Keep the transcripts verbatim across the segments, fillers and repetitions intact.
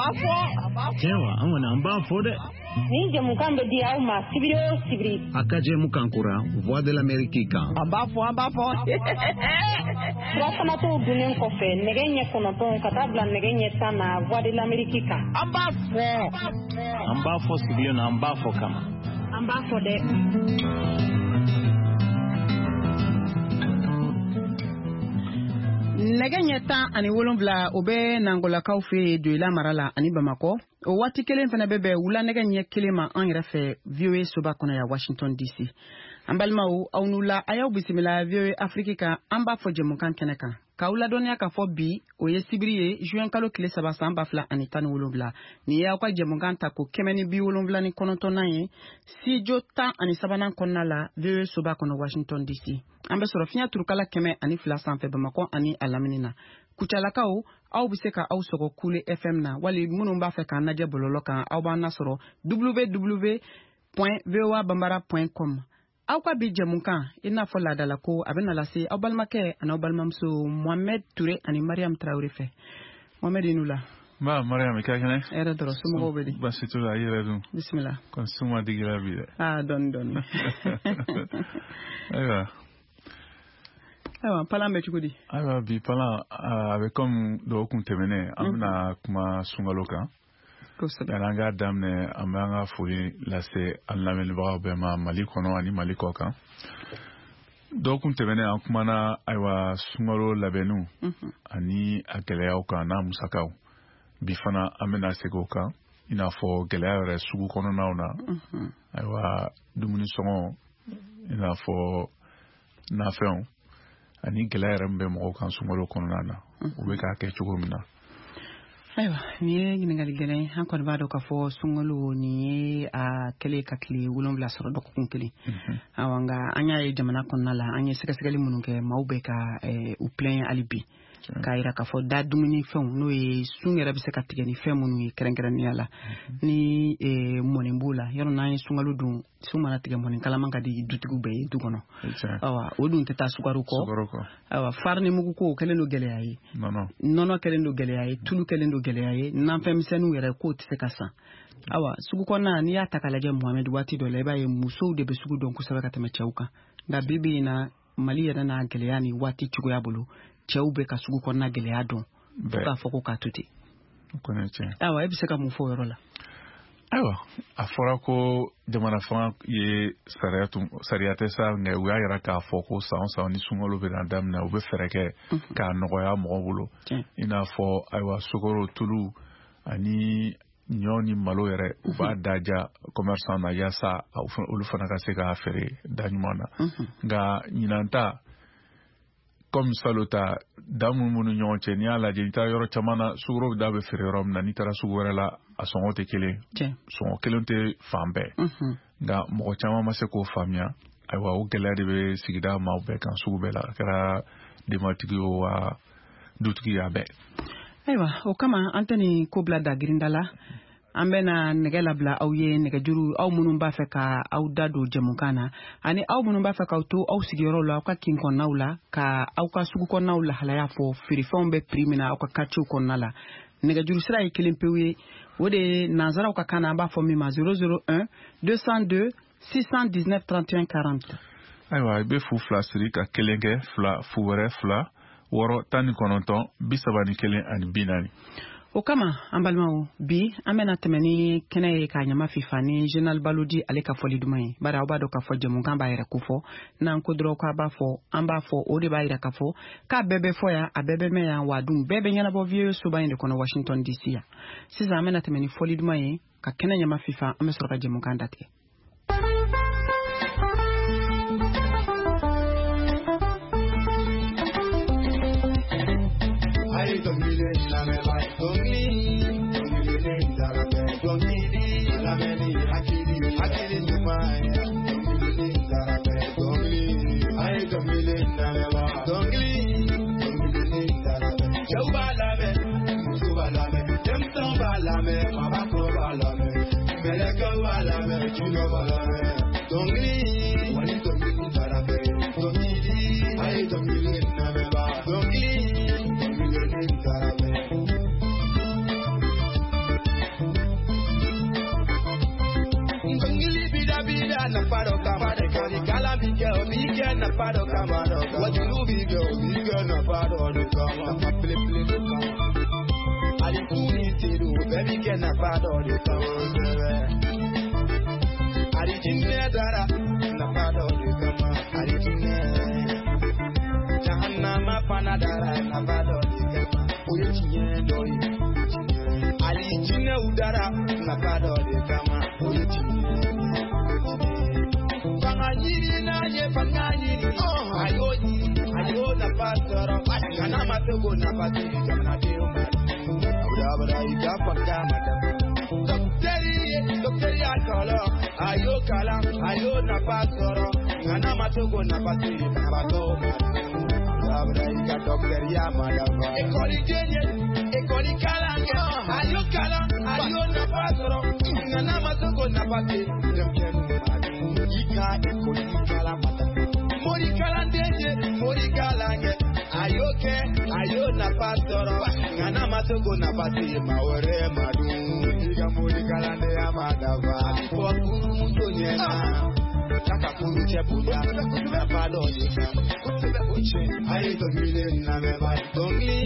b'a fɔ. Tiɲɛ wa, an kɔni an b'a fɔ dɛ. Nin jɛmukan bɛ di aw ma sibiri o sibiri. A ka jɛmukan kura Voix de l'Amérique kan. An b'a fɔ, an b'a fɔ. Surafanato dunnen kɔfɛ nɛgɛ ɲɛ kɔnɔntɔn ka taa bila nɛgɛ ɲɛ tan na Voix de l'Amérique kan. An b'a fɔ. An b'a fɔ sigilen na, an b'a fɔ kama. An b'a fɔ dɛ. Nɛgɛ ɲɛ tan ani wolonwula o bɛ Nangolakaw fɛ yen Doyila mara la ani Bamakɔ. O waati kelen fana bɛ bɛn wula nɛgɛ ɲɛ kelen ma an yɛrɛ fɛ V O A soba kɔnɔ yan Washington D C. An balimaw, aw n'u la, a y'aw bisimila V O A Afrique kan, an b'a fɔ jɛmukan kɛnɛ kan. K'aw ladɔnniya k'a fɔ bi o ye sibiri ye juin kalo tile saba san ba fila ani tan ni wolonwula. Nin ye aw ka jɛmukan ta ko kɛmɛ ni bi wolonwula ni kɔnɔntɔnnan ye studio tan ani sabanan kɔnɔna la V O A soba kɔnɔ Washington D C. An bɛ sɔrɔ fiɲɛ turukala kɛmɛ ani fila sanfɛ Bamakɔ ani a lamini na. Kucalakaw, aw bɛ se ka aw sɔgɔ Kule F M na wali minnu b'a fɛ k'an lajɛ bɔlɔlɔ kan, aw b'an nasɔrɔ w w w point voa bambara point com. Aw ka bi jɛmukan i n'a fɔ laadala ko a bɛna lase aw balimakɛ ani aw balimamuso Mohamed Touré ani Mariam Traoré fɛ. Mohamed, i ni wula. Nba Mariam, i ka kɛnɛ? Hɛrɛ dɔrɔn, somɔgɔw bɛ di? Baasi t'u la, i yɛrɛ dun? Bisimila. Kɔni suma digira bi dɛ. Aa, dɔɔni dɔɔni. Ayiwa. Ayiwa, palan bɛ cogo di? Ayiwa, bi palan a bɛ komi dɔgɔkun tɛmɛnen an bɛna kuma sunkalo kan. Kosɛbɛ. Yanni an k'a daminɛ, an bɛ an ka foli lase an lamɛnnibagaw bɛɛ ma Mali kɔnɔ ani Mali kɔ kan. Dɔgɔkun tɛmɛnen an kumana ayiwa sunkalo labɛnniw ani a gɛlɛyaw kan n'a musakaw. Bi fana an bɛna segin o kan, i n'a fɔ gɛlɛya yɛrɛ sugu kɔnɔnaw na. Ayiwa, dumuni sɔngɔ, i n'a fɔ nafɛnw ani gɛlɛya yɛrɛ min bɛ mɔgɔw kan sunkalo kɔnɔna na, u bɛ k'a kɛ cogo min na. Ayiwa, nin ye ɲininkali gɛlɛn ye. An kɔni b'a dɔn k'a fɔ sunkalo nin ye a kɛlen ka tile wolonwula sɔrɔ dɔgɔkun kelen. Awa, nka an y'a ye jamana kɔnɔna la, an ye sɛgɛsɛgɛli minnu kɛ, maaw bɛ ka u plaint hali bi k'a yira k'a fɔ da dumunifɛnw n'o ye sun yɛrɛ bɛ se ka tigɛ ni fɛn minnu ye kɛrɛnkɛrɛnnenya la, ni mɔni b'o la. Yɔrɔ n'an ye sunkalo dun, sun mana tigɛ mɔni kalaman ka di dutigiw bɛɛ ye du kɔnɔ. Awa, o dun tɛ taa sukaro kɔ. Awa, farini mugu ko o kɛlen don gɛlɛya ye, nɔnɔ kɛlen don gɛlɛya ye, tulu kɛlen don gɛlɛya ye, nafɛnmisɛnninw yɛrɛ k'o tɛ se ka san. Awa, sugu kɔnɔna n'i y'a ta k'a lajɛ Mohamed, waati dɔ la i b'a ye musow de bɛ sugu dɔn kosɛbɛ ka tɛmɛ cɛw kan. Nka bi bi in na Mali yɛrɛ n'a gɛlɛya ni waati cogoya bolo, cɛw bɛ ka sugu kɔnɔna gɛlɛya dɔn fo k'a fɔ ko k'a to ten. Awa, e bɛ se ka mun fɔ o yɔrɔ la? Ayiwa, a fɔra ko jamana fanga ye sariya tun sariya tɛ sa, nka u y'a yira k'a fɔ ko san o san ni sunkalo bɛna daminɛ, u bɛ fɛɛrɛ kɛ k'a nɔgɔya mɔgɔw bolo. I n'a fɔ ayiwa sukaro, tulu ani ɲɔ ni malo yɛrɛ, u b'a daja commerçant na yaasa olu fana ka se k'a feere da ɲuman na. Nka ɲinan ta comme salo ta da minnu b'u ni ɲɔgɔn cɛ, n'i y'a lajɛ, n'i taara yɔrɔ caman na, sukaro da bɛ feere yɔrɔ min na, n'i taara sugu wɛrɛ la, a sɔngɔ tɛ kelen, sɔngɔ kelen tɛ fan bɛɛ. Nka mɔgɔ caman ma se k'o faamuya. Ayiwa, o gɛlɛya de bɛ sigida maaw bɛɛ kan sugu bɛɛ la, a kɛra denbatigi ye wa dutigi ye, a bɛɛ. Ayiwa, o kama an tɛ nin ko bila dagirinda la. An bɛna nɛgɛ labila aw ye, nɛgɛjuru aw minnu b'a fɛ ka aw da don jɛmukan na, ani aw minnu b'a fɛ k'aw to aw sigiyɔrɔw la, aw ka kin kɔnɔnaw la, ka aw ka sugu kɔnɔnaw lahalaya fɔ, feerefɛnw bɛ prix min na aw ka quartier kɔnɔna la. Nɛgɛjuru sira ye kelen pewu ye, o de ye nanzaraw ka kan na, an b'a fɔ min ma zéro zéro un deux cent deux six cent dix-neuf trente et un quarante. Ayiwa, i bɛ fu fila siri ka kelen kɛ fila fu wɛrɛ fila wɔɔrɔ tan ni kɔnɔntɔn bi saba ni kelen ani bi naani. O kama an balimaw, bi an bɛna tɛmɛ ni kɛnɛ ye k'a ɲama fifa ni Général Balodi ale ka fɔli duman ye. Bari aw b'a dɔn k'a fɔ jɛmukan b'a yɛrɛ kofɔ, n'an ko dɔrɔn k'a b'a fɔ, an b'a fɔ, o de b'a yira k'a fɔ k'a bɛɛ bɛ fɔ yan, a bɛɛ bɛ mɛn yan, wa dun bɛɛ bɛ ɲɛnabɔ V O A soba in de kɔnɔ Washington D C yan. Sisan an bɛna tɛmɛ ni fɔli duman ye ka kɛnɛ ɲama fifa, an bɛ sɔrɔ ka jɛmukan datigɛ. nafa dɔ kama wajulu bi kɛ o bi kɛ nafa dɔ de kama nafa belebele de kama hali su ni seliw bɛɛ bi kɛ nafa dɔ de kama hali jinɛ dara nafa dɔ de kama hali jinɛ jahannama fana dara nafa dɔ de kama o ye tiɲɛ dɔ ye hali jinɛw dara nafa dɔ de kama o ye tiɲɛ fanga ɲini n'a ye fanga ɲini a y'o ɲini a y'o nafa sɔrɔ nka n'a ma se k'o nafa sɔrɔ jamanadenw ma abada i ka fanga ma dafa dɔkitɛri ye dɔkitɛri y'a kalan a y'o kalan a y'o nafa sɔrɔ nka n'a ma se k'o nafa sɔrɔ banabaatɔw ma abada i ka dɔkitɛriya ma dafa ekɔliden ye ekɔli kalan kɛ a y'o kalan a y'o nafa sɔrɔ nka n'a ma se k'o nafa sɔrɔ denmisɛnninw ma i ka ekɔli kalan ma dafa mori kalanden ye mori kalan kɛ a y'o kɛ a y'o nafa sɔrɔ nka n'a ma se k'o nafa se maa wɛrɛ ma dun i ka mori kalandenya ma dafa a bɛ fɔ furumuso ɲɛna k'a ka furucɛ bonya nafa dɔ de kama a ye dɔnkili lamɛn dɔnkili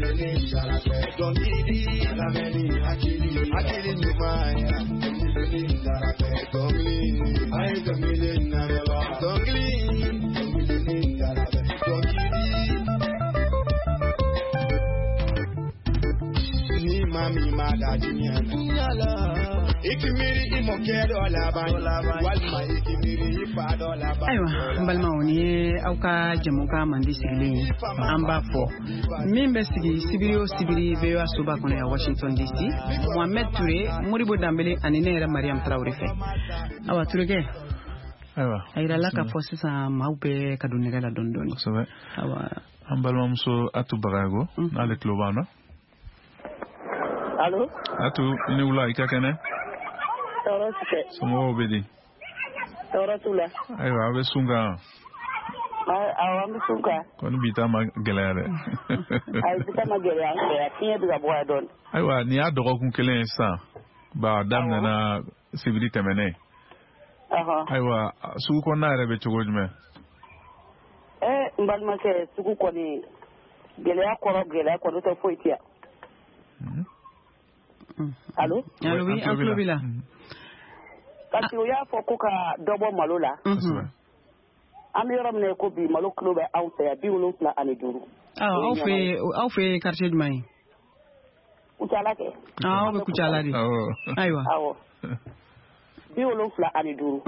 dɔnkili jara fɛ dɔnkili lamɛnni hakili hakili ɲuman ye dɔnkili jara fɛ dɔnkili a ye dɔnkili lamɛn dɔnkili dɔnkili jara fɛ dɔnkili ni maa min ma da diɲɛ na i k'i miiri i mɔkɛ dɔ laban walima i k'i miiri i fa dɔ laban. Ayiwa n balimaw nin ye aw ka jɛmukan mandi sigilen ye an b'a fɔ min bɛ sigi sibiri o sibiri V O A soba kɔnɔ yan Washington D C Mohamed Touré Modibo Danbele ani ne yɛrɛ Mariam Traoré fɛ. Awa Tourékɛ. Ayiwa a yirala k'a fɔ sisan maaw bɛ ka don nɛgɛ la dɔɔni dɔɔni. Kosɛbɛ. Awa an balimamuso Atou Bagayogo n'ale tulo b'an na. Allo. Atou i ni wula i ka kɛnɛ. Tɔɔrɔ si tɛ. Somɔgɔw bɛ di? Tɔɔrɔ t'u la. Ayiwa aw bɛ sun kan. Awɔ an bɛ sun kan. Kɔni bi ta ma gɛlɛya dɛ. Ayi bi ta ma gɛlɛya an fɛ yan fiɲɛ bɛ ka bɔ yan dɔɔni. Ayiwa nin y'a dɔgɔkun kelen ye sisan ba a daminɛna sibiri tɛmɛnen. Ayiwa sugu kɔnɔna yɛrɛ bɛ cogo jumɛn? Ee n balimakɛ sugu kɔni gɛlɛya kɔrɔ gɛlɛya kɔni tɛ foyi tɛ yan. Allo? Allo oui, an tulo b'i la. Parce que u y'a fɔ ko ka dɔ bɔ malo la. An bɛ yɔrɔ min na ko bi malo kilo bɛ anw fɛ yan bi wolonfila ani duuru. Aw fɛ aw fɛ quartier jumɛn ye? Kucala kɛ. Aw bɛ Kucala de. Ayiwa. Awɔ. Bi wolonfila ani duuru.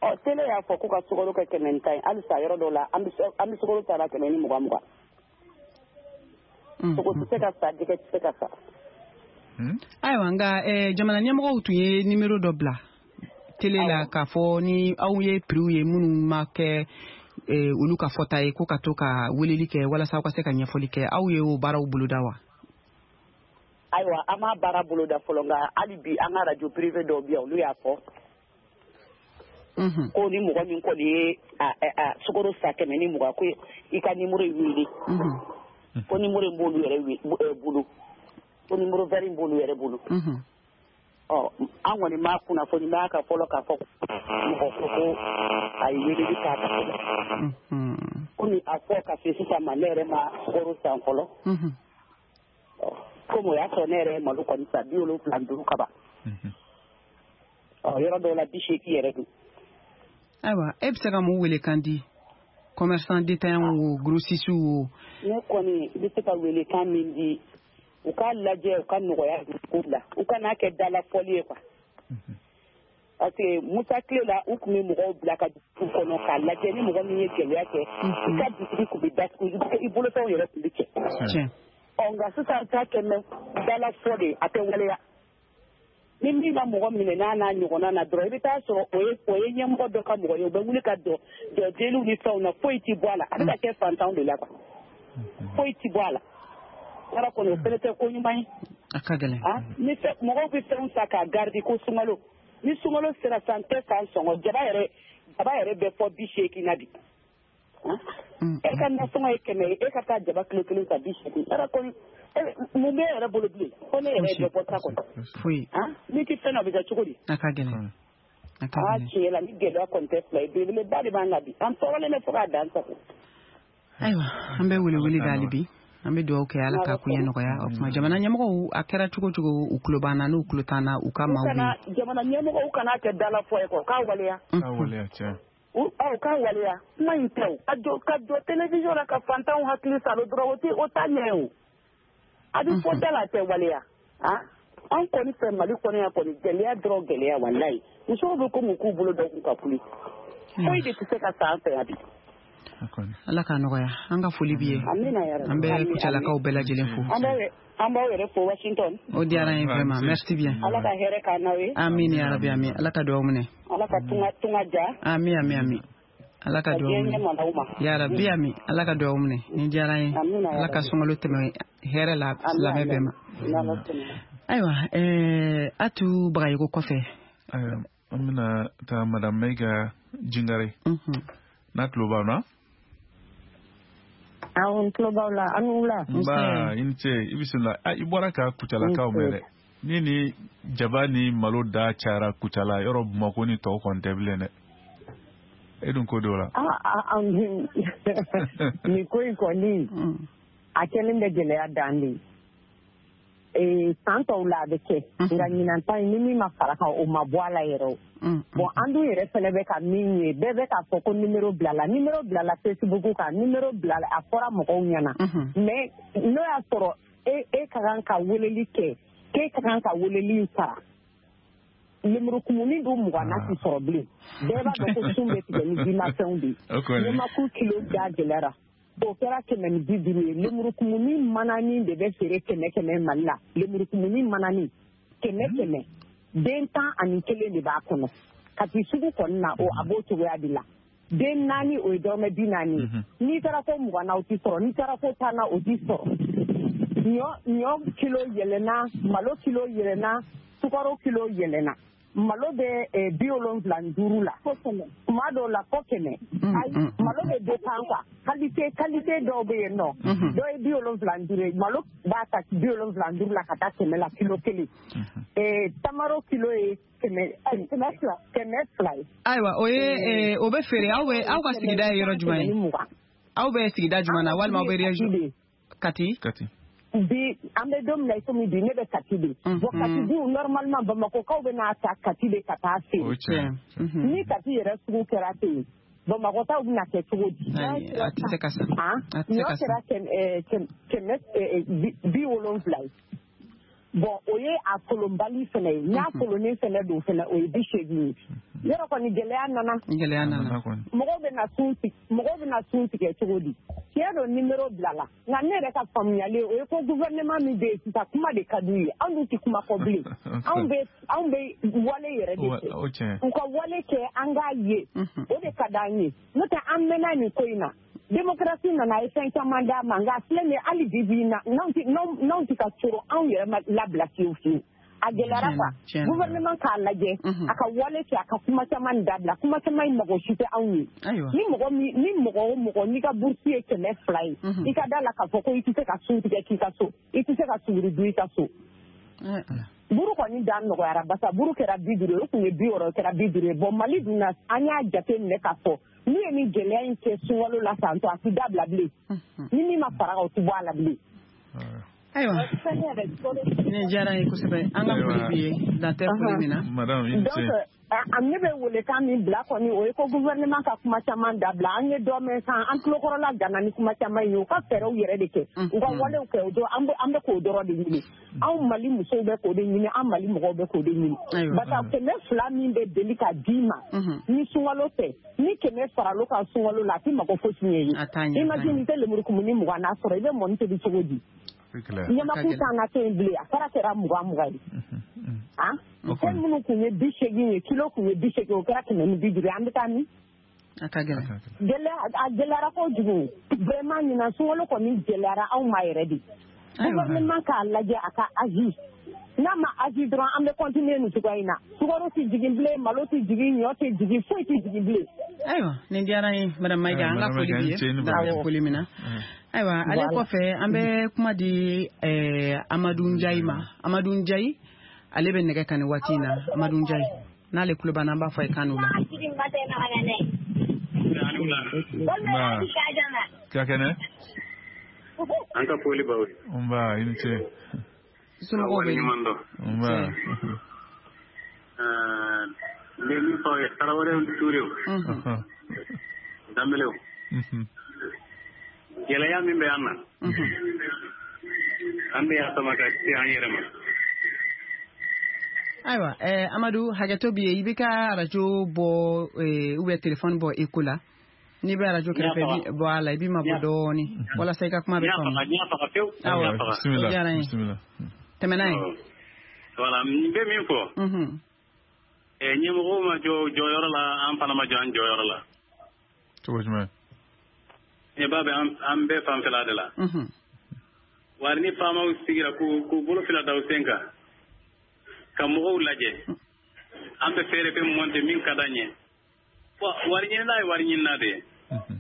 Ɔ télé y'a fɔ ko ka sukaro kɛ kɛmɛ ni tan ye halisa yɔrɔ dɔw la an bɛ an bɛ sukaro ta la kɛmɛ ni mugan mugan. Sogo tɛ se ka san jɛgɛ tɛ se ka san. Ayiwa nka jamana ɲɛmɔgɔw tun ye nimero dɔ bila télé la k'a fɔ ni aw ye prix ye minnu ma kɛ olu ka fɔta ye ko ka to ka weleli kɛ walasa aw ka se ka ɲɛfɔli kɛ aw ye o baaraw boloda wa? Ayiwa an m'a baara boloda fɔlɔ nka hali bi an ka radio privé dɔw bɛ yan olu y'a fɔ. Ko ni mɔgɔ min kɔni ye sukaro san kɛmɛ ni mugan ko i ka nimero in wele. Ko nimero in b'olu yɛrɛ bolo. Ko numéro vert in b'olu yɛrɛ bolo. Ɔ an kɔni m'a kunnafoni b'a kan fɔlɔ k'a fɔ mɔgɔ ko ko a ye weleli k'a kan fɔlɔ. Komi a fɔ ka se sisan ma ne yɛrɛ ma sukaro san fɔlɔ. Komi o y'a sɔrɔ ne yɛrɛ ye malo kɔni san bi wolonfila ni duuru kaban. Ɔ yɔrɔ dɔw la bi seegin yɛrɛ don. Ayiwa e bɛ se ka mun welekan di commerçant détaillant o grossiste o. Ne kɔni bɛ se ka welekan min di. U k'a lajɛ u ka nɔgɔya ko la u kana kɛ dalafɔli ye quoi parce que Musa tile la u tun bɛ mɔgɔw bila ka dugu kɔnɔ k'a lajɛ ni mɔgɔ min ye gɛlɛya kɛ i ka bitigi tun bɛ datugu i bolofɛnw yɛrɛ tun bɛ cɛ ɔ nka sisan ta kɛ mɛ dalafɔ de a tɛ waleya ni min ka mɔgɔ minɛ n'a n'a ɲɔgɔnna na dɔrɔn i bɛ taa sɔrɔ o ye o ye ɲɛmɔgɔ dɔ ka mɔgɔ ye u bɛ wuli ka jɔ jɔ deliw ni fɛnw na foyi ti bɔ a la a bɛ ka kɛ fantanw de la quoi foyi ti bɔ a la. Yɔrɔ kɔni o fɛnɛ tɛ ko ɲuman ye. A ka gɛlɛn. Ni fɛn mɔgɔw bɛ fɛnw ta k'a garder ko sunkalo ni sunkalo sera san tɛ san sɔngɔ jaba yɛrɛ jaba yɛrɛ bɛ fɔ bi seegin na bi. E ka nasɔngɔ ye kɛmɛ ye e ka taa jaba kilo kelen san bi seegin yɔrɔ kɔni mun bɛ e yɛrɛ bolo bilen fo ne yɛrɛ ye dɔ bɔ ta kɔnɔ. Foyi. N'i ti fɛn na o bɛ kɛ cogo di? A ka gɛlɛn. Aa tiɲɛ la ni gɛlɛya kɔni tɛ fila ye, belebeleba de b'an kan bi, an tɔɔrɔlen bɛ fo k'a dan sago. Ayiwa, an bɛ welewele da hali bi, an bɛ dugawu kɛ Ala ka koɲɛ nɔgɔya. O tuma jamana ɲɛmɔgɔw, a kɛra cogo cogo, u tulo b'an na, n'u tulo t'an na, u ka maaw bɛ jamana ɲɛmɔgɔw kana kɛ dalafɔ ye kɔ, k'a waleya. K'a waleya tiɲɛ. Aw k'a waleya, kuma in tɛ o. Ka jɔ ka jɔ télévision la ka fantanw hakili salo dɔrɔn, o tɛ o t'a ɲɛ o. A bɛ fɔ da la, a tɛ waleya. Ah, an kɔni fɛ Mali kɔnɔ yan kɔni, gɛlɛya dɔrɔn gɛlɛya walayi. Musow bɛ komi u k'u bolo dɔ k'u ka kuli. Foyi de tɛ se ka san an fɛ yan bi. Ala k'a nɔgɔya, an ka foli b'i ye. An bɛ Kucalakaw bɛɛ lajɛlen fo. An b'aw yɛrɛ fo Washington. O diyara an ye vraiment, merci bien. Ala ka hɛrɛ k'an n'aw ye. Amin ya Rabbi, amin. Ala ka dugawu minɛ. Ala ka tunga tunga ja. Amin amin amin. Ala ka dugawu minɛ. Ya Rabbi, amin. Ala ka dugawu minɛ. Nin diyara an ye. Ala ka sunkalo tɛmɛ hɛrɛ la silamɛ bɛɛ ma. Ayiwa, ɛɛ Atu Bagayogo kɔfɛ. An bɛna taa Madame Mayiga Jingare. N'a tulo b'aw na. Awɔ, n tulo b'aw la, an wula. Nba, i ni ce, i bisimila. I bɔra ka Kucalakaw mɛn dɛ. Ni ni jaba ni malo da cayara Kucala, yɔrɔ Bamakɔ ni tɔw kɔni tɛ bilen dɛ. E dun ko don o la. Aa, nin ko in kɔni, a kɛlen bɛ gɛlɛya dan de ye. San tɔw la a bɛ kɛ, nka ɲinan ta in ni min ma fara kan, o ma bɔ a la yɛrɛ o. Bon, an dun yɛrɛ fɛnɛ bɛ ka min ye, bɛɛ bɛ k'a fɔ ko numéro bilala, numéro bilala Facebook kan, numéro bilala, a fɔra mɔgɔw ɲɛna. Mais n'o y'a sɔrɔ e e ka kan ka weleli kɛ, k'e ka kan ka weleli in sara, lemurukumuni dun mugan na ti sɔrɔ bilen. Bɛɛ b'a dɔn ko sun bɛ tigɛ ni jimafɛnw de ye. Ɲɛmakulu kilo da gɛlɛyara. O kɛra kɛmɛ ni bi duuru ye. Lemurukumuni manani de bɛ feere kɛmɛ kɛmɛ Mali la. Lemurukumuni manani kɛmɛ kɛmɛ, den tan ani kelen de b'a kɔnɔ. Kati sugu kɔni na, o a b'o cogoya de la. Den naani, o ye dɔrɔmɛ bi naani ye. N'i taara ko mugan na, o ti sɔrɔ. N'i taara ko tan na, o ti sɔrɔ. Ɲɔ ɲɔ kilo yɛlɛnna, malo kilo yɛlɛnna, sukaro kilo yɛlɛnna. Malo bɛ bi wolonwula ni duuru la, tuma dɔw la fo kɛmɛ. Ayi, malo bɛ dépend quoi, qualité qualité dɔw bɛ yen nɔ, dɔw ye bi wolonwula ni duuru ye, malo b'a ta bi wolonwula ni duuru la ka taa kɛmɛ la kilo kelen. Tamaro kilo ye kɛmɛ kɛmɛ fila kɛmɛ fila ye. Ayiwa, o ye o bɛ feere aw bɛ aw ka sigida ye yɔrɔ jumɛn ye? Aw bɛ sigida jumɛn na, walima aw bɛ région? Kati. Kati. Bi an bɛ don min na i komi bi, ne bɛ Kati de. Bon, Kati dun normalement Bamakɔkaw bɛ n'a ta Kati de ka taa feere. Ni Kati yɛrɛ sugu kɛra ten, Bamakɔtaw bɛna kɛ cogo di? A tɛ se ka san. Ɲɔ kɛra kɛmɛ bi wolonwula ye. Bon, o ye a kolonbali fɛnɛ ye. N'a kolonnen fɛnɛ don fɛnɛ, o ye bi seegin ye. Yɔrɔ kɔni gɛlɛya nana. Gɛlɛya nana. Mɔgɔw bɛ na sun tigɛ, mɔgɔw bɛ na sun tigɛ cogo di? Tiɲɛ don, numéro bilala. Nka ne yɛrɛ ka faamuyali, o ye ko gouvernement min bɛ yen sisan, kuma de ka d'u ye. Anw dun tɛ kuma fɔ bilen. Anw bɛ anw bɛ wale yɛrɛ de kɛ. U ka wale kɛ, an k'a ye. O de ka d'an ye. N'o tɛ, an mɛnna nin ko in na. Démocratie nana, a ye fɛn caman d'a ma, nka filɛ nin ye, hali bi bi in na, n'anw tɛ ka coro, anw yɛrɛ ma labila fiyewu fiyewu. A gɛlɛyara quoi. Gouvernement k'a lajɛ, a ka wale kɛ, a ka kuma caman dabila. Kuma caman in mago si tɛ anw ye. Ni mɔgɔ min, ni mɔgɔ o mɔgɔ n'i ka bourse ye kɛmɛ fila ye, i ka da la k'a fɔ ko i tɛ se ka sun tigɛ k'i ka so, i tɛ se ka suguri dun i ka so. Buru kɔni da nɔgɔyara, basa buru kɛra bi duuru ye, o tun ye bi wɔɔrɔ, kɛra bi duuru ye. Bon, Mali dun na, an y'a jate minɛ k'a fɔ n'u ye nin gɛlɛya in kɛ sunkalo la tantɔ, a tɛ dabila bilen. Ni min ma fara kan, o tɛ bɔ a la bilen. Ayiwa, nin diyara n ye kosɛbɛ. An ka foli b'i ye, dan tɛ foli min na. Donc ne bɛ welekan min bila kɔni, o ye ko gouvernement ka kuma caman dabila. An ye dɔ mɛn san, an tulokɔrɔla gana ni kuma caman ye. U ka fɛɛrɛw yɛrɛ de kɛ, u ka walew kɛ, o dɔrɔn an bɛ k'o dɔrɔn de ɲini. Anw Mali musow bɛ k'o de ɲini, an Mali mɔgɔw bɛ k'o de ɲini. Barisa kɛmɛ fila min bɛ deli ka d'i ma ni sunkalo tɛ, ni kɛmɛ faral'o kan sunkalo la, a tɛ mako fosi ɲɛ ye. Imagine, i tɛ lemurukumuni mugan na sɔrɔ, i bɛ mɔni tobi cogo di? Ɲamaku t'an ka kɛ yen bilen, a fara kɛra mugan mugan ye. Fɛn minnu tun ye bi seegin ye, kilo tun ye bi seegin, o kɛra kɛmɛ ni bi duuru ye. An bɛ taa min? A ka gɛlɛn. Gɛlɛya, a gɛlɛyara kojugu. Vraiment, ɲinan sunkalo kɔni gɛlɛyara anw ma yɛrɛ de. Gouvernement k'a lajɛ, a ka agir. N'a ma agir dɔrɔn, an bɛ continuer nin cogoya in na. Sukaro tɛ jigin bilen, malo tɛ jigin, ɲɔ tɛ jigin, foyi tɛ jigin bilen. Ayiwa, nin diyara n ye, Madame Mayiga, an ka foli b'i ye, dan tɛ foli min na. Ayiwa, ale kɔfɛ, an bɛ kuma di Amadu Njayi ma. Amadu Njayi, ale bɛ nɛgɛ kan nin waati in na. Amadu Njayi. N'ale tulo b'an na, an b'a fɔ a ye k'an n'u la. Nba. Ka kɛnɛ? An ka foli b'aw ye. Nba, i ni ce. Somɔgɔw bɛ di? Nba. N bɛ min fɔ aw ye, Tarawelew ni Turew. Danbelew. Gɛlɛya min bɛ an na, an bɛ y'a sama ka se an yɛrɛ ma. Ayiwa, eh, Amadu, hakɛto b'i ye, i b'i ka arajo bɔ eh, ou bien téléphone bɔ écho la. N'i bɛ arajo kɛrɛfɛ, i b'i bɔ a la, i b'i mabɔ dɔɔni walasa i ka kuma bɛ faamu. N y'a faga pewu. Awɔ, bisimila, o diyara n ye. Bisimila. Tɛmɛ n'a ye. Voilà, n bɛ min fɔ. Eh, ɲɛmɔgɔw ma jɔ jɔyɔrɔ la, an fana ma jɔ an jɔyɔrɔ la. Cogo jumɛn? Ɲɛba bɛ an bɛɛ fanfɛla de la. Wari ni faamaw sigira k'u k'u bolo fila da u sen kan, ka mɔgɔw lajɛ, an bɛ fɛɛrɛ fɛn monter min ka d'an ye. Wari ɲinina ye wari ɲinina de ye.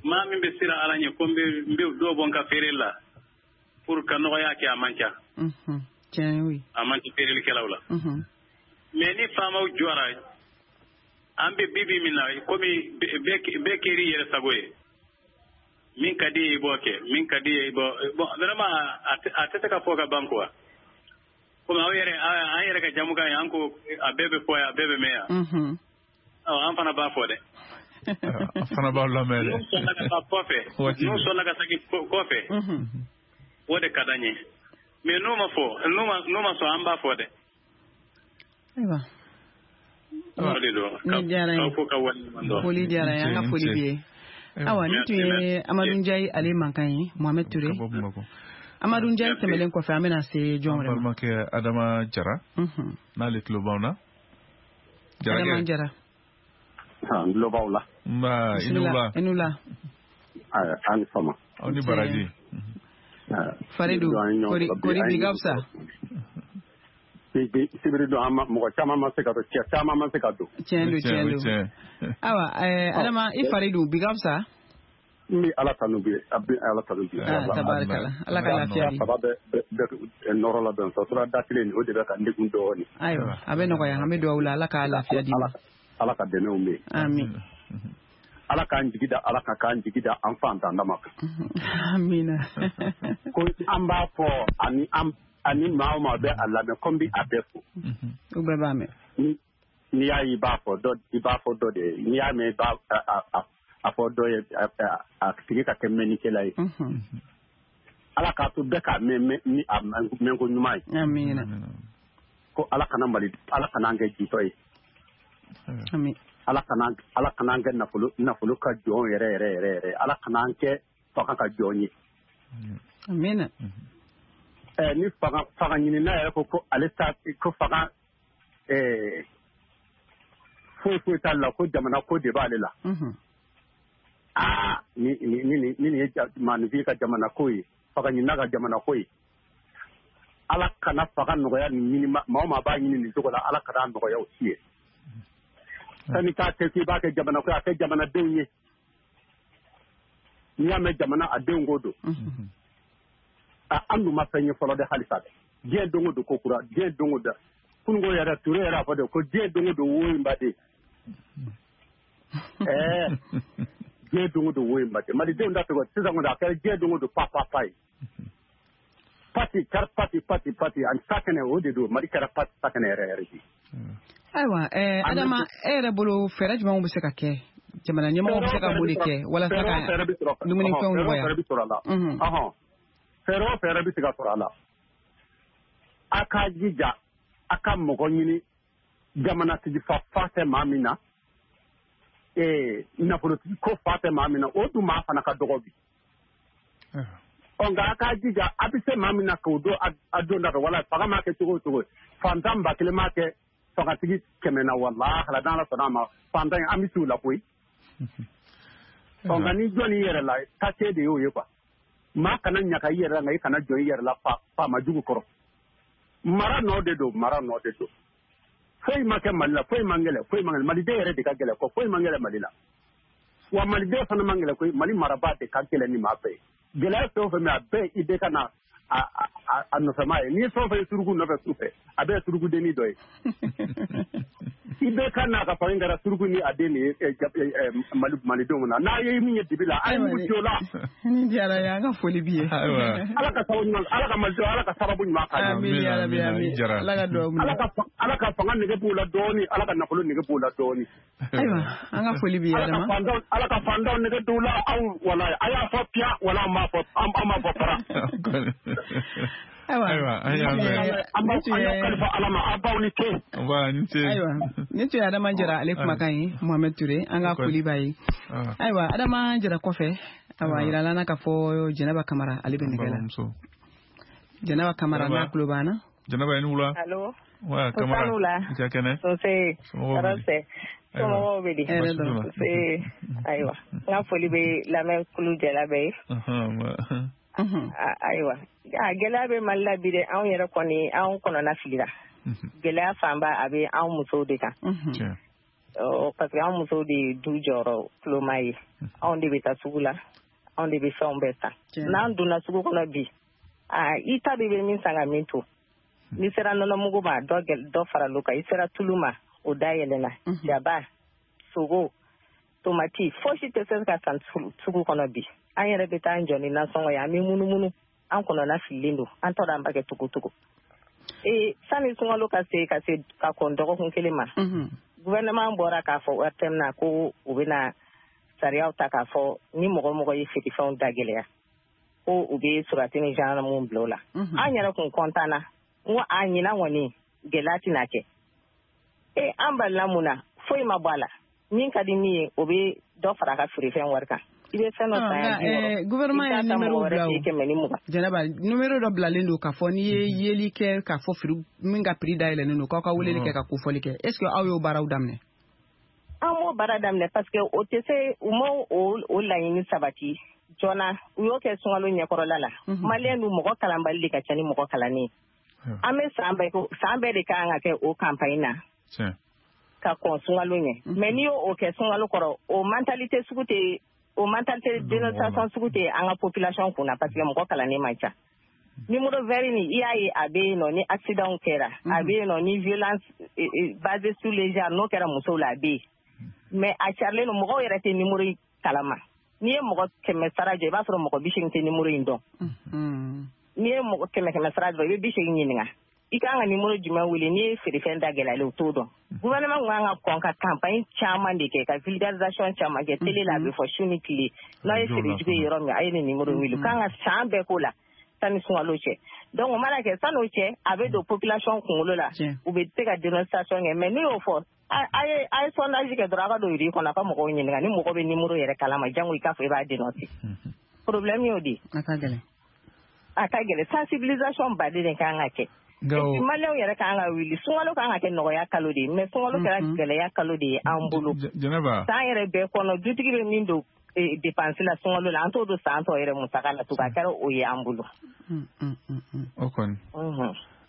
Maa min bɛ siran Ala ɲɛ ko n bɛ n bɛ dɔ bɔ n ka feere la pour ka nɔgɔya kɛ, a man ca. Tiɲɛ oui. A man ca feerelikɛlaw la. Mais ni faamaw jɔra, an bɛ bi bi min na, komi bɛɛ kɛr'i yɛrɛ sago ye. Min ka di ye i b'o kɛ, min ka di ye i b'o. Bon, vraiment a tɛ se ka fɔ ka ban quoi. Komi aw yɛrɛ, an yɛrɛ ka jamukan ye, an ko a bɛɛ bɛ fɔ yan, a bɛɛ bɛ mɛn yan. Ɔ, an fana b'a fɔ dɛ. An fana b'aw lamɛn dɛ. N'u sɔnna ka taa kɔfɛ, n'u sɔnna ka segin kɔfɛ, o de ka d'an ye. Mais n'u ma fɔ, n'u ma n'u ma sɔn, an b'a fɔ dɛ. Ayiwa. O de don. Ni diyara n ye. K'aw fo ka waleɲuman dɔn. Foli diyara n ye, an ka foli b'i ye. Awa, nin tun ye Amadu Njayi ale mankan ye, Mohamed Touré. Amadu Njayi tɛmɛlen kɔfɛ, an bɛna se jɔn wɛrɛ ma? An balimakɛ Adama Jara, n'ale tulo b'anw na. Adama Jara. N tulo b'aw la. Nba, i ni wula. I ni wula. Aw ni fama. Aw ni baraji. Faridu, kori bi ka fisa? Sibiri don, mɔgɔ caman ma se ka don, cɛ caman ma se ka don. Tiɲɛ don, tiɲɛ don. Awa, Adama, i fari don, bi ka fisa? N bɛ Ala tanu bi, a bɛ Ala tanu bi. Tabarikala, Ala ka lafiya di. Saba bɛ bɛ nɔrɔ la bɛn sɔrɔ da kelen o de bɛ ka n degun dɔɔnin. Ayiwa, a bɛ nɔgɔya, an bɛ dugawu la, Ala ka lafiya di. Ala ka dɛmɛw bɛ yen. Amin. Ala k'an jigi da Ala kan, k'an jigi da an fantan dama kan. Amina. Ko an b'a fɔ ani an ani maa o maa bɛ a lamɛn, ko n bɛ a bɛɛ fo. U bɛɛ b'a mɛn. N'i y'a ye i b'a fɔ dɔ, i b'a fɔ dɔ de ye, n'i y'a mɛn i b'a a fɔ dɔ ye, a tigi ka kɛ mɛnnikɛla ye. Ala k'a to bɛɛ k'a mɛn ni a mɛnko ɲuman ye. Amina. Ko Ala kana Mali, Ala kana an kɛ jitɔ ye. Amin. Ala kana Ala kana an kɛ nafolo nafolo ka jɔn yɛrɛ yɛrɛ yɛrɛ yɛrɛ. Ala kana an kɛ fanga ka jɔn ye. Amina. Eh, ni fanga fanga ɲinina yɛrɛ ko ko ale ta ko fanga eh foyi foyi t'a la, ko jamana ko de b'ale la. Aa, ni ni ni ni ni ye maanifin ka jamana ko ye, fanga ɲinina ka jamana ko ye. Ala kana fanga nɔgɔya nin ɲini, maa o maa b'a ɲini nin cogo la, Ala kana nɔgɔya o si ye. Sani k'a kɛ k'i b'a kɛ jamana ko ye, a kɛ jamanadenw ye. N'i y'a mɛn jamana, a denw ko don. An dun ma fɛn ye fɔlɔ dɛ, halisa dɛ. Diɲɛ don o don ko kura, diɲɛ don o don. Kununko yɛrɛ, Ture yɛrɛ a fɔ de ko diɲɛ don o don wo in ba de. Ɛɛ, diɲɛ don o don wo in ba de. Malidenw da tɔgɔ sisan kɔni, a kɛra diɲɛ don o don pa pa pa ye. Pati kɛra pati pati pati ani sakɛnɛ, o de don. Mali kɛra pati sakɛnɛ yɛrɛ yɛrɛ de. Ayiwa, ɛɛ Adama, e yɛrɛ bolo fɛɛrɛ jumɛnw bɛ se ka kɛ? Jamana ɲɛmɔgɔw bɛ se ka mun de kɛ walasa ka dumunifɛnw nɔgɔya? Fɛɛrɛ bɛ sɔrɔ a la. Fɛɛrɛ o fɛɛrɛ bɛ se ka sɔrɔ a la. A k'a jija, a ka mɔgɔ ɲini jamanatigi fa fa tɛ maa min na, ee nafolotigi ko fa tɛ maa min na, o dun maa fana ka dɔgɔ bi. Ɔ, nka a k'a jija, a bɛ se maa min na k'o don a don da fɛ, wala fanga m'a kɛ cogo o cogo, fantan ba kelen m'a kɛ fangatigi kɛmɛ na, walahi n'Ala sɔnna a ma, fantan an bɛ s'u la koyi. Ɔ, nka ni jɔn y'i yɛrɛ la, kase de y'o ye quoi. Maa kana ɲaga i yɛrɛ la, nka i kana jɔn i yɛrɛ la faama jugu kɔrɔ. Mara nɔ de don, mara nɔ de don. Foyi ma kɛ Mali la, foyi man gɛlɛn, foyi man gɛlɛn. Maliden yɛrɛ de ka gɛlɛn kɔ, foyi man gɛlɛn Mali la. Wa maliden fana man gɛlɛn koyi, Mali marabaa de ka gɛlɛn ni maa bɛɛ ye. Gɛlɛya fɛn o fɛn bɛ, a bɛɛ i bɛ ka na a a nɔfɛma ye. N'i ye fɛn o fɛn ye suruku nɔfɛ su fɛ, a bɛɛ ye surukudennin dɔ ye. I bɛɛ ka n'a ka fanga kɛra suruku ni a den de ye malidenw na. N'a ye min ye dibi la, a ye mugu ci o la. Ni diyara ye, an ka foli b'i ye. Ala ka sababu ɲuman, Ala ka malidenw, Ala ka sababu ɲuman k'an ye. Amin ya Rabi, amin. Ala ka dugawu minɛ. Ala ka Ala ka fanga nege b'u la dɔɔni, Ala ka nafolo nege b'u la dɔɔni. Ayiwa, an ka foli b'i ye Adama. Ala ka fantanw nege t'u la, aw walayi, a y'a fɔ piya, wala an m'a fɔ, an m'a fɔ fara. Ayiwa, an y'a mɛn. An b'aw kalifa Ala ma, aw baw ni ce. Nba, ni ce. Ayiwa, nin tun ye Adama Jara ale kumakan ye, Mohamed Touré, an ka foli b'a ye. Ayiwa, Adama Jara kɔfɛ, ayiwa, yirala n na k'a fɔ Jɛnɛba Kamara ale bɛ nɛgɛ la. Jɛnɛba Kamara n'a tulo b'an na. Jɛnɛba, i ni wula. Allo. Wa, Kamara. I ka kɛnɛ. Nse. Tɔɔrɔ tɛ. Somɔgɔw bɛ di? Nse. Ayiwa, n ka foli bɛ lamɛnkulu jɛla bɛɛ ye. Ayiwa, a gɛlɛya bɛ Mali la bi dɛ, anw yɛrɛ kɔni anw kɔnɔna filila. Gɛlɛya fanba a bɛ anw musow de kan. Parce que anw musow de ye du jɔyɔrɔ tuloma ye. Anw de bɛ taa sugu la, anw de bɛ fɛnw bɛɛ san. N'an donna sugu kɔnɔ bi, i ta de bɛ min san ka min to. N'i sera nɔnɔmugu ma, dɔ dɔ faral'o kan. I sera tulu ma, o da yɛlɛnna. Jaba, sogo, tomati, fosi tɛ se ka san sugu kɔnɔ bi. An yɛrɛ bɛ taa an jɔ ni nasɔngɔ ye, an bɛ munumunu, an kɔnɔna fililen don, an t'a dɔn an b'a kɛ cogo cogo. Ee sani sunkalo ka se ka se ka kɔn dɔgɔkun kelen ma, gouvernement bɔra k'a fɔ O R T M na ko u bɛna sariyaw ta k'a fɔ ni mɔgɔ mɔgɔ ye feerefɛnw da gɛlɛya, ko u bɛ surati ni gendarmew bila o la. An yɛrɛ kun kɔntan na, n ko a ɲinan kɔni gɛlɛya tɛna kɛ. Ee an balila mun na, foyi ma bɔ a la. Min ka di min ye, o bɛ dɔ fara a ka feerefɛn wari kan. I bɛ fɛn dɔ san yan bi wɔɔrɔ, gouvernement ye numéro bila o, kɛmɛ ni mugan. Jɛnɛba, numéro dɔ bilalen don k'a fɔ n'i ye yeli kɛ k'a fɔ firi min ka prix dayɛlɛnnen don, k'aw ka weleli kɛ ka kofɔli kɛ. Est ce que aw y'o baaraw daminɛ? An m'o baara daminɛ parce que o tɛ se, u m'o o laɲini sabati joona. U y'o kɛ sunkalo ɲɛkɔrɔla la. Maliyɛn dun mɔgɔ kalanbali de ka ca ni mɔgɔ kalannen ye. An bɛ san bɛɛ san bɛɛ de kan ka kɛ o campagne na ka kɔn sunkalo ɲɛ. Mais n'i y'o kɛ sunkalo kɔrɔ, o mentalité sugu tɛ, o mentalité dénonciation sugu tɛ an ka population kunna parce que mɔgɔ kalannen man ca. Numéro vert nin, i y'a ye a bɛ yen nɔ ni accident kɛra, a bɛ yen nɔ ni violence basée sur les genres n'o kɛra musow la, a bɛ yen. Mais a carilen don, mɔgɔw yɛrɛ tɛ numéro in kalama. N'i ye mɔgɔ kɛmɛ sara jɔ, i b'a sɔrɔ mɔgɔ bi seegin tɛ numéro in dɔn. N'i ye mɔgɔ kɛmɛ kɛmɛ sara jɔ, i bɛ bi seegin ɲininka. I kan ka numéro jumɛn wele n'i ye feerefɛn da gɛlɛyalen, o t'o dɔn. Gouvernement kun kan ka kɔn ka campagne caman de kɛ, ka vulgarisation caman kɛ télé la, a bɛ fɔ su ni tile. N'a ye feere jugu ye yɔrɔ min, a ye nin numéro wele. U kan ka san bɛɛ k'o la sani sunkalo cɛ. Donc o mana kɛ san'o cɛ, a bɛ don population kunkolo la, u bɛ se ka dénonciation kɛ. Mais n'u y'o fɔ, a ye a ye sondage kɛ dɔrɔn, a ka don rue kɔnɔ, a ka mɔgɔw ɲininka ni mɔgɔ bɛ numéro yɛrɛ kalama, jango i k'a fɔ i b'a dénoncer. Problème y'o de ye. A ka gɛlɛn. A ka gɛlɛn, sensibilisation baden de kan ka kɛ. Maliyɛnw yɛrɛ kan ka wuli, sunkalo kan ka kɛ nɔgɔya kalo de ye, mais sunkalo kɛra gɛlɛya kalo de ye an bolo. San yɛrɛ bɛɛ kɔnɔ, dutigi bɛ min don dépense la sunkalo la, an t'o don san tɔ yɛrɛ musaka la tugun, a kɛra o ye an bolo. O kɔni.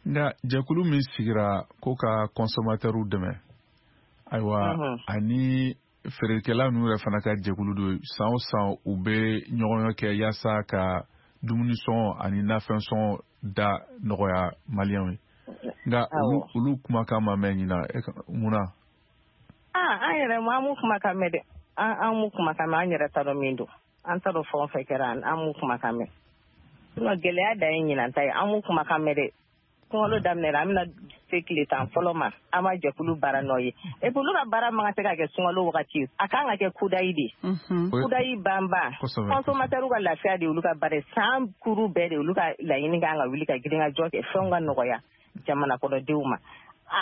Nka jɛkulu min sigira ko ka consommateurw dɛmɛ, ayiwa, ani feerekɛla ninnu yɛrɛ fana ka jɛkulu don, san o san u bɛ ɲɔgɔn kɛ yaasa ka dumuni sɔngɔ ani nafɛn sɔngɔ da nɔgɔya maliyɛnw ye. Nka olu olu kumakan ma mɛn ɲina, mun na? Ah, an yɛrɛ an m'u kumakan mɛn dɛ. An an m'u kumakan mɛn, an yɛrɛ t'a dɔn min don. An t'a dɔn fɛn o fɛn kɛra, an m'u kumakan mɛn. Sinon gɛlɛya dan ye ɲinan ta ye, an m'u kumakan mɛn dɛ. Sunkalo daminɛra, an bɛna se tile tan fɔlɔ ma, an ma jɛkulu baara nɔ ye. Et puis olu ka baara man ka se ka kɛ sunkalo wagati, a kan ka kɛ kudayi de. Kudayi banban, consommateur ka lafiya de olu ka baara ye, san kuru bɛɛ de olu ka laɲini kan ka wuli ka girin ka jɔ kɛ fɛnw ka nɔgɔya jamana kɔnɔdenw ma.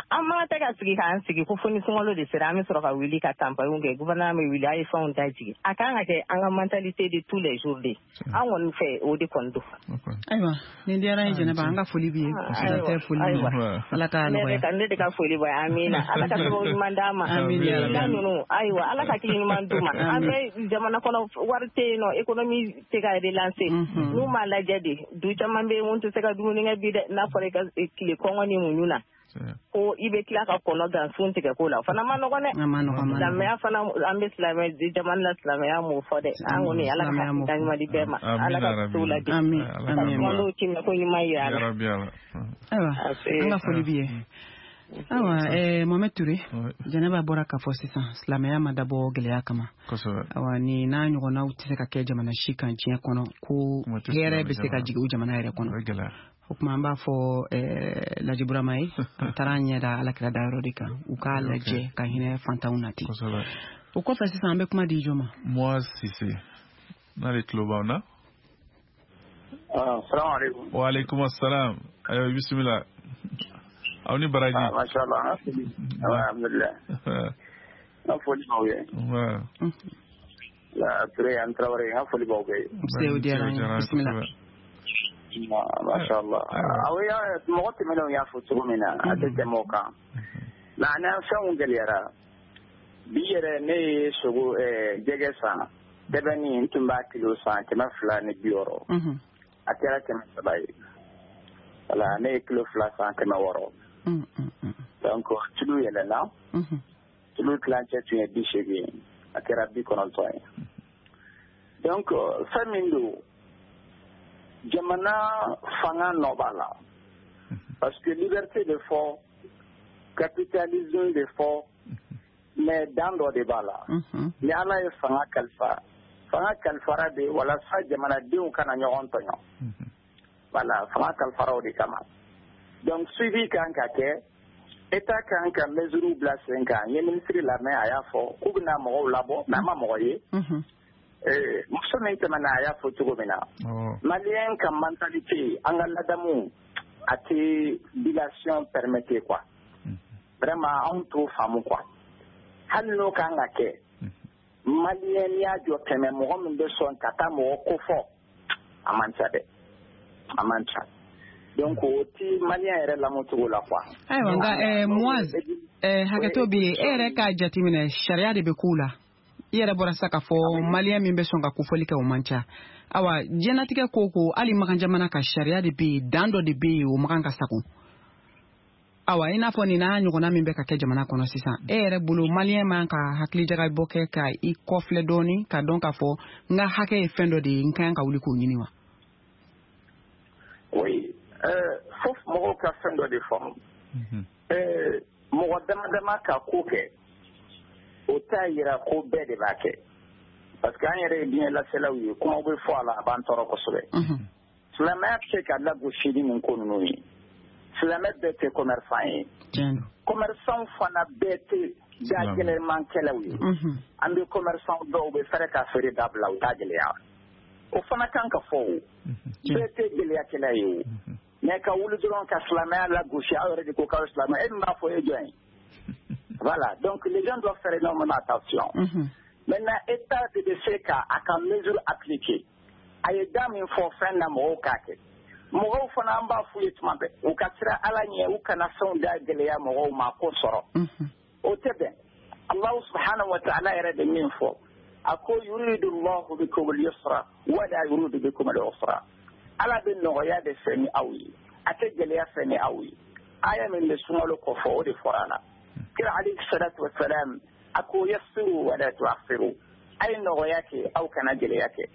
An man ka tɛ ka sigi k'an sigi ko fo ni sunkalo de sera an bɛ sɔrɔ ka wuli ka campagne kɛ, gouvernement bɛ wuli a ye fɛnw da jigin. A kan ka kɛ an ka mentalité de tous les jours de. An kɔni fɛ o de kɔni don. Ayiwa, nin diyara n ye Jɛnɛba, an ka foli b'i ye. Tɛ foli Ala ka nɔgɔya. Ne de ka foli b'a ye, amiina. Ala ka sababu ɲuman d'an ma. Amiina. Ninnu, ayiwa, Ala ka hakili ɲuman d'u ma. An bɛ jamana kɔnɔ wari tɛ yen nɔ, économie tɛ ka relancer. N'u m'a lajɛ de, du caman bɛ yen mun tɛ se ka dumuni kɛ bi dɛ, n'a fɔra i ka tile kɔngɔ ni muɲu na. Ko i bɛ tila ka kɔnɔ gan sun tigɛ ko la o fana ma nɔgɔn dɛ. Silamɛya fana an bɛ silamɛ jamana la silamɛya m'o fɔ dɛ. An kɔni Ala ka hakilina ɲuman di bɛɛ ma. Ala ka t'u ladi. Ka sunkalo tiimɛ ko ɲuman yira an na. Ayiwa an ka foli b'i ye. Ayiwa eh, Mohamed Touré, Jɛnɛba bɔra k'a fɔ sisan silamɛya ma dabɔ gɛlɛya kama. Ayiwa ni n'a ɲɔgɔnnaw tɛ se ka kɛ jamana si kan diɲɛ kɔnɔ ko hɛrɛ bɛ se ka jigin o jamana yɛrɛ kɔnɔ. O tuma an b'a fɔ eh, Laji Burama ye a taara an ɲɛ da Alakira dayɔrɔ de kan u k'a lajɛ ka hinɛ fantanw na ten. O kɔfɛ sisan an bɛ kuma di jɔn ma? Moise Cissé n'ale tulo b'aw na. Salamu aleykum. Wa aleykum assalam. Ayiwa bisimila. Aw ni baraji. Ah, masha Allah. Alhamdulillah. N ka foli b'aw ye. La Touré an Traoré n ka foli b'aw bɛɛ ye. Nse o diyara an ye. Bisimila. Masha Allah. Aw y'a mɔgɔ tɛmɛnenw y'a fɔ cogo min na a tɛ tɛmɛ o kan. Maana fɛnw gɛlɛyara. Bi yɛrɛ ne ye sogo jɛgɛ san. Dɛbɛnni n tun b'a kilo san kɛmɛ fila ni bi wɔɔrɔ. A kɛra kɛmɛ saba ye. Voilà, ne ye kilo fila san kɛmɛ wɔɔrɔ. Donc tulu yɛlɛnna. Tulu tilancɛ tun ye bi seegin ye. A kɛra bi kɔnɔntɔn ye. Donc fɛn min don jamana fanga nɔ b'a la. Parce que liberté de fɔ, capitalisme de fɔ, mais dan dɔ de b'a la. Ni Ala ye fanga kalifa, fanga kalifara de walasa jamanadenw kana ɲɔgɔn tɔɲɔ. Voilà, fanga kalifara o de kama. Donc suivi kan ka kɛ, État kan ka mesure bila sen kan. N ye ministre lamɛn a y'a fɔ k'u bɛna mɔgɔw labɔ, mais a ma mɔgɔ ye. Muso min tɛmɛna a y'a fɔ cogo min na, Malien ka mentalité, an ka ladamu a tɛ dilation permettre quoi. Vraiment anw t'o faamu quoi. Hali n'o kan ka kɛ, Malien n'i y'a jɔ kɛmɛ mɔgɔ min bɛ sɔn ka taa mɔgɔ ko fɔ, a man ca dɛ. A man ca. Donc o ti Malien yɛrɛ lamɔcogo la quoi. Ayiwa nka eh, Moise eh, hakɛto bɛ yen, e yɛrɛ k'a jateminɛ sariya de bɛ kow la. I yɛrɛ bɔra sisan k'a fɔ Malien min bɛ sɔn ka kofɔli kɛ o man ca. Awa diɲɛlatigɛ ko ko hali makan jamana ka sariya de bɛ yen, dan dɔ de bɛ yen o makan ka sago. Awa i n'a fɔ nin n'a ɲɔgɔnna min bɛ ka kɛ jamana kɔnɔ sisan, e yɛrɛ bolo Malien man ka hakilijagabɔ kɛ ka i kɔfilɛ dɔɔni ka dɔn k'a fɔ n ka hakɛ ye fɛn dɔ de ye n ka kan ka wuli k'o ɲini wa? Oui, euh, fo mɔgɔw ka fɛn dɔ de faamu. Euh, mɔgɔ dama dama ka ko kɛ, o t'a yira ko bɛɛ de b'a kɛ. Parce que an yɛrɛ ye diɲɛ laselaw ye, kumaw bɛ fɔ a la a b'an tɔɔrɔ kosɛbɛ. Silamɛya tɛ se ka lagosi ni nin ko ninnu ye. Silamɛ bɛɛ tɛ commerçant ye. Commerçant fana bɛɛ tɛ da gɛlɛmankɛlaw ye. An bɛ commerçant dɔw bɛ fɛrɛ ka feere dabila u t'a gɛlɛya. O fana kan ka fɔ o. Bɛɛ tɛ gɛlɛyakɛla ye o. Mais ka wuli dɔrɔn ka silamɛya lagosi, aw yɛrɛ de ko k'aw ye silamɛ, e min b'a fɔ e jɔn ye. Voilà, donc les gens doivent faire énormément attention. Maintenant, État de bɛ se ka a ka mesure appliquer. A ye da min fɔ fɛn na mɔgɔw k'a kɛ. Mɔgɔw fana an b'a f'u ye tuma bɛɛ, u ka siran Ala ɲɛ, u kana fɛnw da gɛlɛya mɔgɔw ma ko sɔrɔ. O tɛ bɛn. Allahu subhanahu wa ta'ala yɛrɛ de min fɔ, a ko yuridu Allahu bikum al-yusra wa la yuridu bikum al-usra. Ala bɛ nɔgɔya de fɛ ni aw ye, a tɛ gɛlɛya fɛ ni aw ye. Aya min bɛ sunkalo kɔfɛ o de fɔra a la. Kira alayhi salatu wa salam a ko yassiru wa la tu'assiru, a ye nɔgɔya kɛ aw kana gɛlɛya kɛ.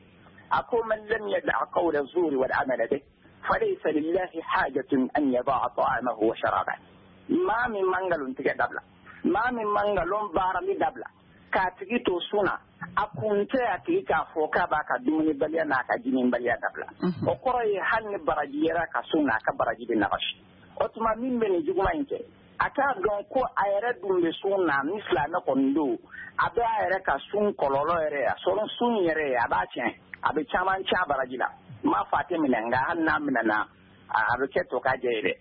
A ko man lam yada'a qawla zuri wal amala bihi falaysa lillahi hajatun an yada'a ta'amahu wa sharabahu. Maa min man nkalon tigɛ dabila, maa min man nkalon baarali dabila, k'a tigi to sun na, a kun tɛ a tigi k'a fɔ k'a b'a ka dumunibaliya n'a ka jiminbaliya dabila. O kɔrɔ ye hali ni baraji yera ka sun na, a ka baraji bɛ nagasi. O tuma min bɛ nin juguman in kɛ, a k'a dɔn ko a yɛrɛ dun bɛ sun na, ni silamɛ kɔni don, a bɛ a yɛrɛ ka sun kɔlɔlɔ yɛrɛ, a sɔrɔ sun yɛrɛ a b'a tiɲɛ, a bɛ caman tiɲɛ baraji la. N m'a fɔ a tɛ minɛ, nka hali n'a minɛna, a bɛ kɛ to k'a jɛ ye dɛ.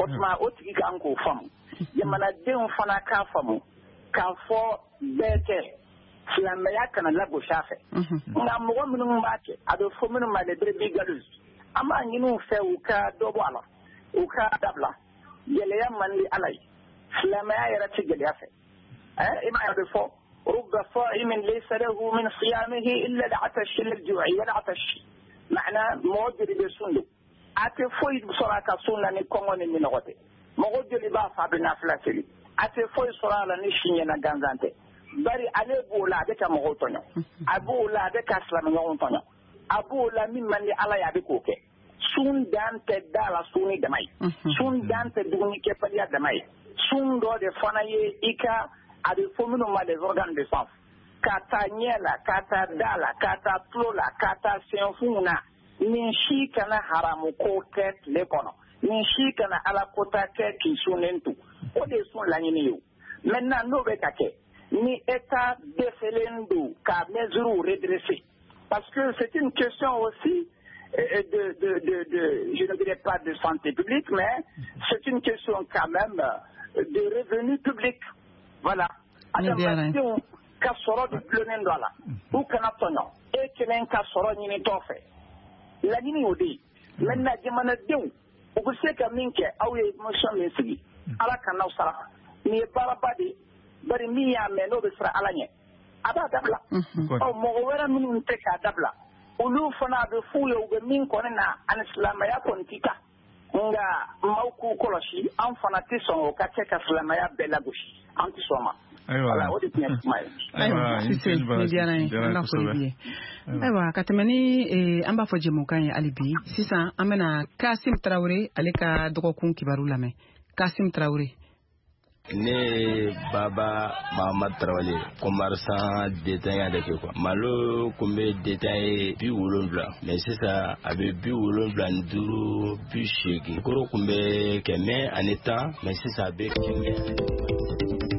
O tuma o tigi kan k'o faamu. Jamanadenw fana k'a faamu k'a fɔ bɛɛ tɛ silamɛya kana lagosi a fɛ. Nka mɔgɔ minnu b'a kɛ, a bɛ fɔ minnu ma les brebis galeuses, an b'a ɲini u fɛ u ka dɔ bɔ a la, u ka dabila. Gɛlɛya man di Ala ye, silamɛya yɛrɛ tɛ gɛlɛya fɛ. I m'a ye a bɛ fɔ rubba sa'imin laysa lahu min siyamihi illa al-'atash lil-ju'i wal-'atash. Maana mɔgɔ joli bɛ sun don, a tɛ foyi sɔrɔ a ka sun na ni kɔngɔ ni minɔgɔ tɛ. Mɔgɔ joli b'a fɔ a bɛ nafila seli, a tɛ foyi sɔrɔ a la ni si ɲɛna gansan tɛ. Bari ale b'o la a bɛ ka mɔgɔw tɔɲɔ, a b'o la a bɛ ka silamɛɲɔgɔnw tɔɲɔ, a b'o la min man di Ala ye a bɛ k'o kɛ. Sun dan tɛ da la sun ni dama ye, sun dan tɛ dumunikɛbaliya dama ye. Sun dɔ de fana ye i ka, a bɛ fɔ minnu ma les organes de sens, ka taa ɲɛ la, ka taa da la, ka taa tulo la, ka taa senfunw na. Nin si kana haramu ko kɛ tile kɔnɔ, nin si kana Ala kota kɛ k'i sunnen to. O de ye sun laɲini ye o. Maintenant n'o bɛ ka kɛ, ni État dɛsɛlen don ka mesures redresser, parce que c'est une question aussi de, de, de, de, je ne dirais pas de santé publique, mais c'est une question quand même de revenus publics. Voilà. Adamadenw ka sɔrɔ de dulonnen don a la, u kana tɔɲɔ, e kelen ka sɔrɔ ɲinitɔ fɛ. Laɲini y'o de ye. Maintenant jamanadenw u bɛ se ka min kɛ, aw ye mission min sigi, Ala kan'aw sara. Nin ye baaraba de ye, bari min y'a mɛn n'o bɛ siran Ala ɲɛ, a b'a dabila. Ɔ mɔgɔ wɛrɛ minnu tɛ k'a dabila, olu fana a bɛ f'u ye u bɛ min kɔni na, ani silamɛya kɔni tɛ taa. Nka maaw k'u kɔlɔsi, an fana tɛ sɔn o ka kɛ ka silamɛya bɛɛ lagosi, an tɛ sɔn o ma. Voilà, o de tun ye kuma ye. Ayiwa, Sise, ni diyara n ye, an ka foli b'i ye. Ayiwa, ka tɛmɛ ni an b'a fɔ jɛmukan ye hali bi, sisan an bɛna Kasim Tarawele ale ka dɔgɔkun kibaru lamɛn. Kasim Tarawele. Ne Baba Mahamad Tarawele, commerçant détaillant de kɛ quoi. Malo kun bɛ détaillé bi wolonwula, mais sisan a bɛ bi wolonwula ni duuru, bi seegin. Koro kun bɛ kɛmɛ ani tan, mais sisan a bɛ kɛmɛ.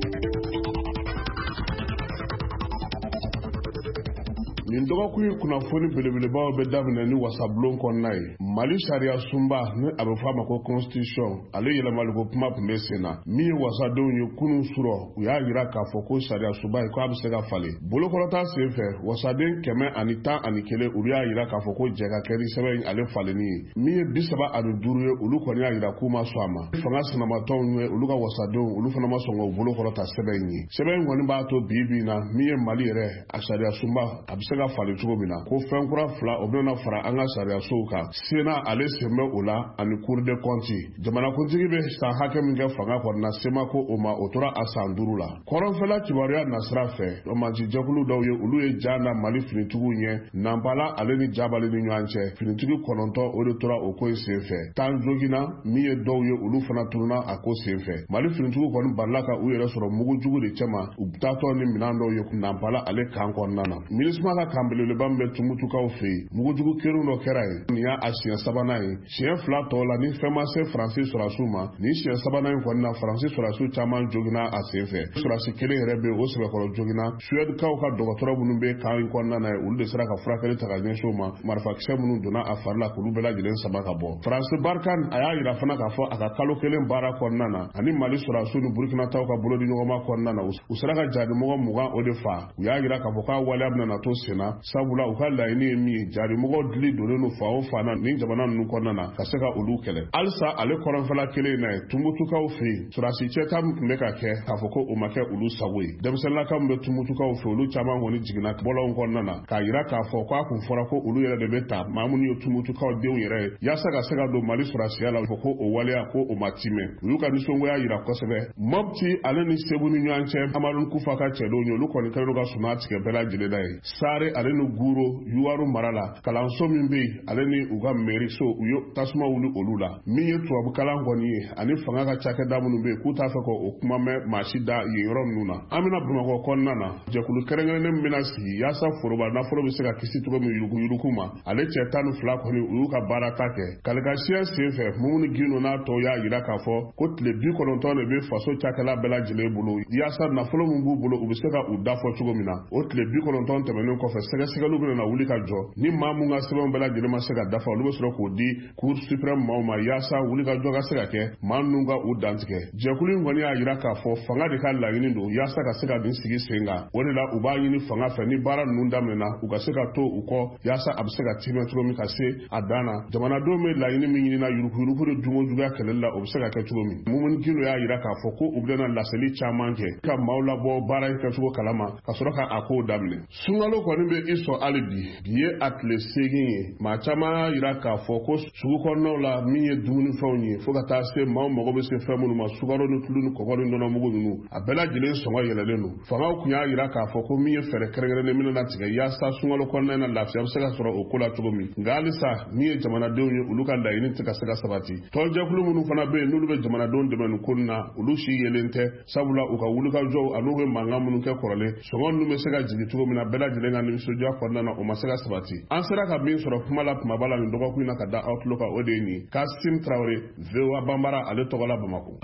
Nin dɔgɔkun in kunnafoni belebelebaw bɛ daminɛ ni wasabulon kɔnɔna ye. Mali sariya sunba ni a bɛ fɔ a ma ko constitution, ale yɛlɛmaliko kuma tun bɛ sen na. Min ye wasadenw ye kunun surɔ, u y'a jira k'a fɔ ko sariya sunba in k'a bɛ se ka falen. Bolokɔrɔta sen fɛ, wasaden kɛmɛ ani tan ani kelen olu y'a jira k'a fɔ ko jɛ ka kɛ ni sɛbɛn in ale falenni ye. Min ye bi saba ani duuru ye, olu kɔni y'a jira k'u ma sɔn a ma. Fanga sinamatɔnw ye olu ka wasadenw, olu fana ma sɔn k'u bolokɔrɔta sɛbɛn in ye. Sɛbɛn in kɔni b'a to bi bi in na, min ye Mali yɛrɛ a sariya sunba a bɛ se ka falen cogo min na, ko fɛn kura fila o bɛna fara an ka sariyasow kan. Sénat ale sen bɛ o la ani Cour des comptes. Jamanakuntigi bɛ san hakɛ min kɛ fanga kɔnɔna, SEMA ko o ma, o tora a san duuru la. Kɔrɔnfɛla kibaruya nasira fɛ, mansi-jɛkulu dɔw ye olu ye ja da Mali finitigiw ɲɛ Nanpala ale ni Jabali ni ɲɔgɔn cɛ. Finitigi kɔnɔntɔn o de tora o ko in sen fɛ. Tan joginna, min ye dɔw ye olu fana tununa a ko sen fɛ. Mali finitigiw kɔni balila ka u yɛrɛ sɔrɔ mugujugu de cɛma, u taatɔ ni minɛn dɔw ye Nanpala ale kan kɔnɔna na. MINUSMA ka kan belebeleba min bɛ Tumutukaw fɛ yen, mugujugu kelen dɔ kɛra yen. Nin y'a siɲɛ sabanan ye. Siɲɛ fila tɔw la ni fɛn ma se Faransi sɔrɔdasiw ma, nin siɲɛ sabanan in kɔni na Faransi sɔrɔdasiw caman joginna a sen fɛ. Sɔrɔdasi kelen yɛrɛ bɛ yen, o sɛbɛkɔrɔ joginna. Suèdekaw ka dɔgɔtɔrɔ minnu bɛ kan in kɔnɔna na yen, olu de sera ka furakɛli ta ka ɲɛsin o ma. Marifakisɛ minnu donna a fari la k'olu bɛɛ lajɛlen sama ka bɔ. Faransi Barkhane a y'a jira fana k'a fɔ a ka kalo kelen baara kɔnɔna na, ani Mali sɔrɔdasiw ni Burukina taw ka bolodiɲɔgɔnma kɔnɔna na, u sera ka jaadimɔgɔ mugan o de fa. U y'a jira k'a fɔ k'a waleya bɛna na to sen na, sabula u ka laɲini ye min ye, jaadimɔgɔw dili donnen don fa o fan na nin jamana ninnu kɔnɔna na ka se ka olu kɛlɛ. Halisa ale kɔrɔnfɛla kelen in na ye, Tumutukaw fɛ yen, sɔrɔdasi cɛta min tun bɛ ka kɛ k'a fɔ ko o ma kɛ olu sago ye. Denmisɛnninlaka min bɛ Tumutukaw fɛ, olu caman kɔni jiginna bɔlɔnw kɔnɔna na k'a jira k'a fɔ k'a kun fɔra ko olu yɛrɛ de bɛ ta maa minnu ye Tumutukaw denw yɛrɛ ye, yaasa ka se ka don Mali sɔrɔdasiya la, fɔ ko o waleya ko o ma timɛ. U y'u ka nisɔngoya jira kosɛbɛ. Mopti ale ni Segu ni ɲɔgɔn cɛ, Amadu Kufa ka cɛdenw ye, olu kɔni kɛlen don ka suman tigɛ bɛɛ lajɛlen na ye. Sare ale ni Guro Yuwaru mara la, kalanso min bɛ yen ale ni u ka mairie so, u ye tasuma wuli olu la. Min ye tubabukalan kɔni ye ani fanga ka cakɛda minnu bɛ yen k'u t'a fɛ k'o kuma mɛn maa si da yen yɔrɔ ninnu na. An bɛna Bamakɔ kɔnɔna na, jɛkulu kɛrɛnkɛrɛnnen min bɛna sigi yaasa foroba nafolo bɛ se ka kisi cogo min yuruguyurugu ma, ale cɛ tan ni fila kɔni u y'u ka baara ta kɛ. Kalikasiɲɛ sen fɛ, Mumuni Gindo n'a tɔw y'a jira k'a fɔ ko tile bi kɔnɔntɔn de bɛ faso cakɛla bɛɛ lajɛlen bolo yaasa nafolo min b'u bolo u bɛ se ka u dafɔ cogo min na. O tile bi kɔnɔntɔn tɛmɛnen kɔfɛ, sɛgɛsɛgɛliw bɛna na wuli ka jɔ. Ni maa mun ka sɛbɛnw bɛɛ lajɛlen ma se ka dafa, olu bɛ sɔrɔ k'o di Cour suprême maaw ma yaasa wuli ka jɔ ka se ka kɛ maa ninnu ka u dantigɛ. Jɛkulu in kɔni y'a jira k'a fɔ fanga de ka laɲini don yaasa ka se ka nin sigi sen kan. O de la u b'a ɲini fanga fɛ ni baara ninnu daminɛna, u ka se ka to u kɔ yaasa a bɛ se ka timɛ cogo min ka se a dan na. Jamanadenw bɛ laɲini min ɲini na yuruguyurugu ni dunkojuguya kɛlɛli la, o bɛ se ka kɛ cogo min. Mumuni Gindo y'a jira k'a fɔ ko u bɛna laseli caman kɛ ka maaw labɔ baara in kɛcogo kalama ka sɔrɔ ka a kow daminɛ. Sunkalo kɔni bɛ i sɔn hali bi, bi ye a tile seegin ye. Maa caman y'a jira k'a fɔ ko sugu kɔnɔnaw la min ye dumunifɛnw ye, fo ka taa se maaw mago bɛ se fɛn minnu ma, sukaro ni tulu ni kɔgɔ ni nɔnɔmugu ninnu, a bɛɛ lajɛlen sɔngɔ yɛlɛlen don. Fangaw tun y'a jira k'a fɔ ko min ye fɛɛrɛ kɛrɛnkɛrɛnnen minnu latigɛ yaasa sunkalo kɔnɔna in na lafiya bɛ se ka sɔrɔ o ko la cogo min. Nka halisa min ye jamanadenw ye, olu ka laɲini tɛ ka se ka sabati. Tɔnjɛkulu minnu fana bɛ yen n'olu bɛ jamanadenw dɛmɛ nin ko in na, olu si yelen tɛ, sabula u ka wulikajɔw an'u bɛ mankan minnu kɛ kɔrɔlen, sɔngɔ ninnu bɛ se ka jigin cogo min na bɛɛ lajɛlen ka nisɔndiya kɔnɔna na, o ma se ka sabati. An sera ka min sɔrɔ kuma la kumaba la nin dɔgɔkun in na ka da aw tulo kan, o de ye nin ye. Kasim Tarawele, V O A Banbara, ale tɔgɔ la Bamakɔ.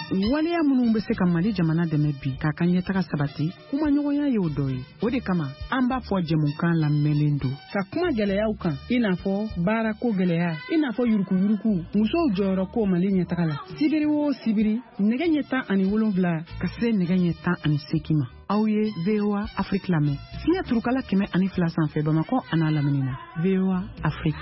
Waleya minnu bɛ se ka Mali jamana dɛmɛ bi k'a ka ɲɛtaga sabati, kumaɲɔgɔnya y'o dɔ ye. O de kama an b'a fɔ jɛmukan lamɛnlen don ka kuma gɛlɛyaw kan, i n'a fɔ baarako gɛlɛya, i n'a fɔ yurukuyuruku, musow jɔyɔrɔ ko Mali ɲɛtaga la. Sibiri o sibiri, nɛgɛ ɲɛ tan ani wolonwula ka se nɛgɛ ɲɛ tan ani seegin ma. Aw ye V O A Afrique lamɛn. Fiɲɛ turukala kɛmɛ ani fila sanfɛ Bamakɔ an'a lamini na. V O A Afrique.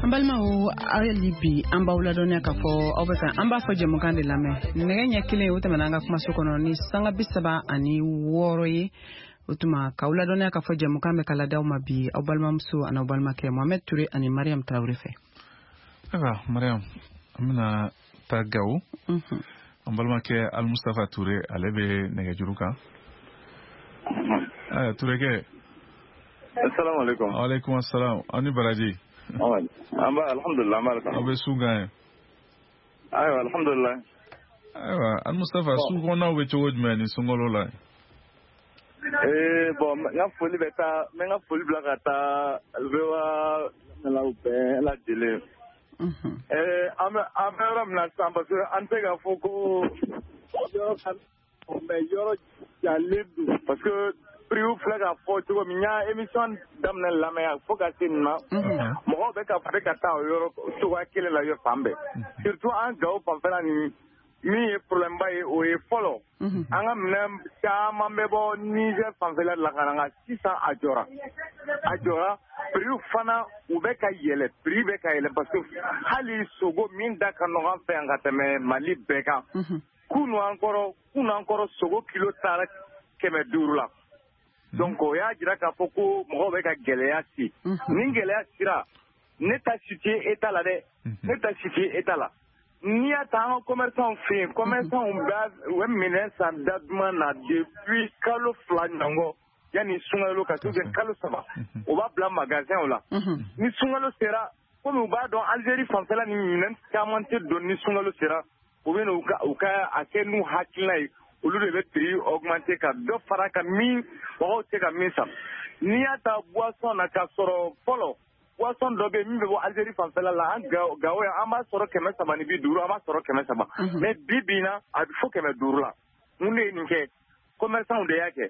An balimaw, hali bi an b'aw ladɔnniya k'a fɔ aw bɛ ka an b'a fɔ jɛmukan de lamɛn. Nɛgɛ ɲɛ kelen o tɛmɛna an ka kumaso kɔnɔ ni sanga bi saba ani wɔɔrɔ ye. O tuma k'aw ladɔnniya k'a fɔ jɛmukan bɛ ka ladaw ma bi aw balimamuso ani aw balimakɛ Mohamed Touré ani Mariam Traoré fɛ. Ayiwa Mariam, an bɛna taa Gawo. An balimakɛ Almustafa Touré, ale bɛ nɛgɛjuru kan. Ayiwa Tourékɛ. Assalamu alaikum. Wa alaikum assalam. Aw ni baraji. An b'a alhamdulillah, an b'a aw bɛ su gan ye. Ayiwa alhamdulillah. Ayiwa Almustafa, su kɔnɔnaw bɛ cogo jumɛn ni sunkalo la? Ee bon, n ka foli bɛ taa, n bɛ n ka foli bila ka taa V O A lamɛnlaw bɛɛ lajɛlen. Ee an bɛ an bɛ yɔrɔ min na sisan, parce que an tɛ k'a fɔ ko yɔrɔ ka mais yɔrɔ jalen don, parce que prix filɛ k'a fɔ cogo min, n y'a émission daminɛ lamɛn fo ka se nin ma, mɔgɔw bɛ ka bɛ ka taa o yɔrɔ cogoya kelen la yɔrɔ fan bɛɛ, surtout an Gawo fanfɛla nin. Min ye problème ba ye, o ye fɔlɔ an ka minɛn caman bɛ bɔ Niger fanfɛla la ka na, nka sisan a jɔra a jɔra prix fana u bɛ ka yɛlɛ, prix bɛ ka yɛlɛ, parce que hali sogo min da ka nɔgɔn an fɛ yan ka tɛmɛ Mali bɛɛ kan, kunu an kɔrɔ kunu an kɔrɔ sogo kilo taara kɛmɛ duuru la. Donc o y'a jira k'a fɔ ko mɔgɔw bɛ ka gɛlɛya si. Ni gɛlɛya sera, ne ta si tɛ État la dɛ, ne ta si tɛ État la. N'i y'a ta an ka commerçant fɛ yen, commerçant b'a u bɛ minɛn san da duman na depuis kalo fila ɲɔgɔn yanni sunkalo ka se, ou bien kalo saba, u b'a bila magasin la. Ni sunkalo sera, komi u b'a dɔn Algérie fanfɛla ni minɛn caman tɛ don ni sunkalo sera, u bɛ n'u ka u ka a kɛ n'u hakilina ye, olu de bɛ prix augmenter ka dɔ fara ka min mɔgɔw tɛ ka min san. N'i y'a ta boisson na, k'a sɔrɔ fɔlɔ boisson dɔ bɛ yen min bɛ bɔ Algérie fanfɛla la, an Gawo yan an b'a sɔrɔ kɛmɛ saba ni bi duuru, an b'a sɔrɔ kɛmɛ saba, mais bi bi in na a bɛ fo kɛmɛ duuru la. Mun de ye nin kɛ? Commerçant de y'a kɛ.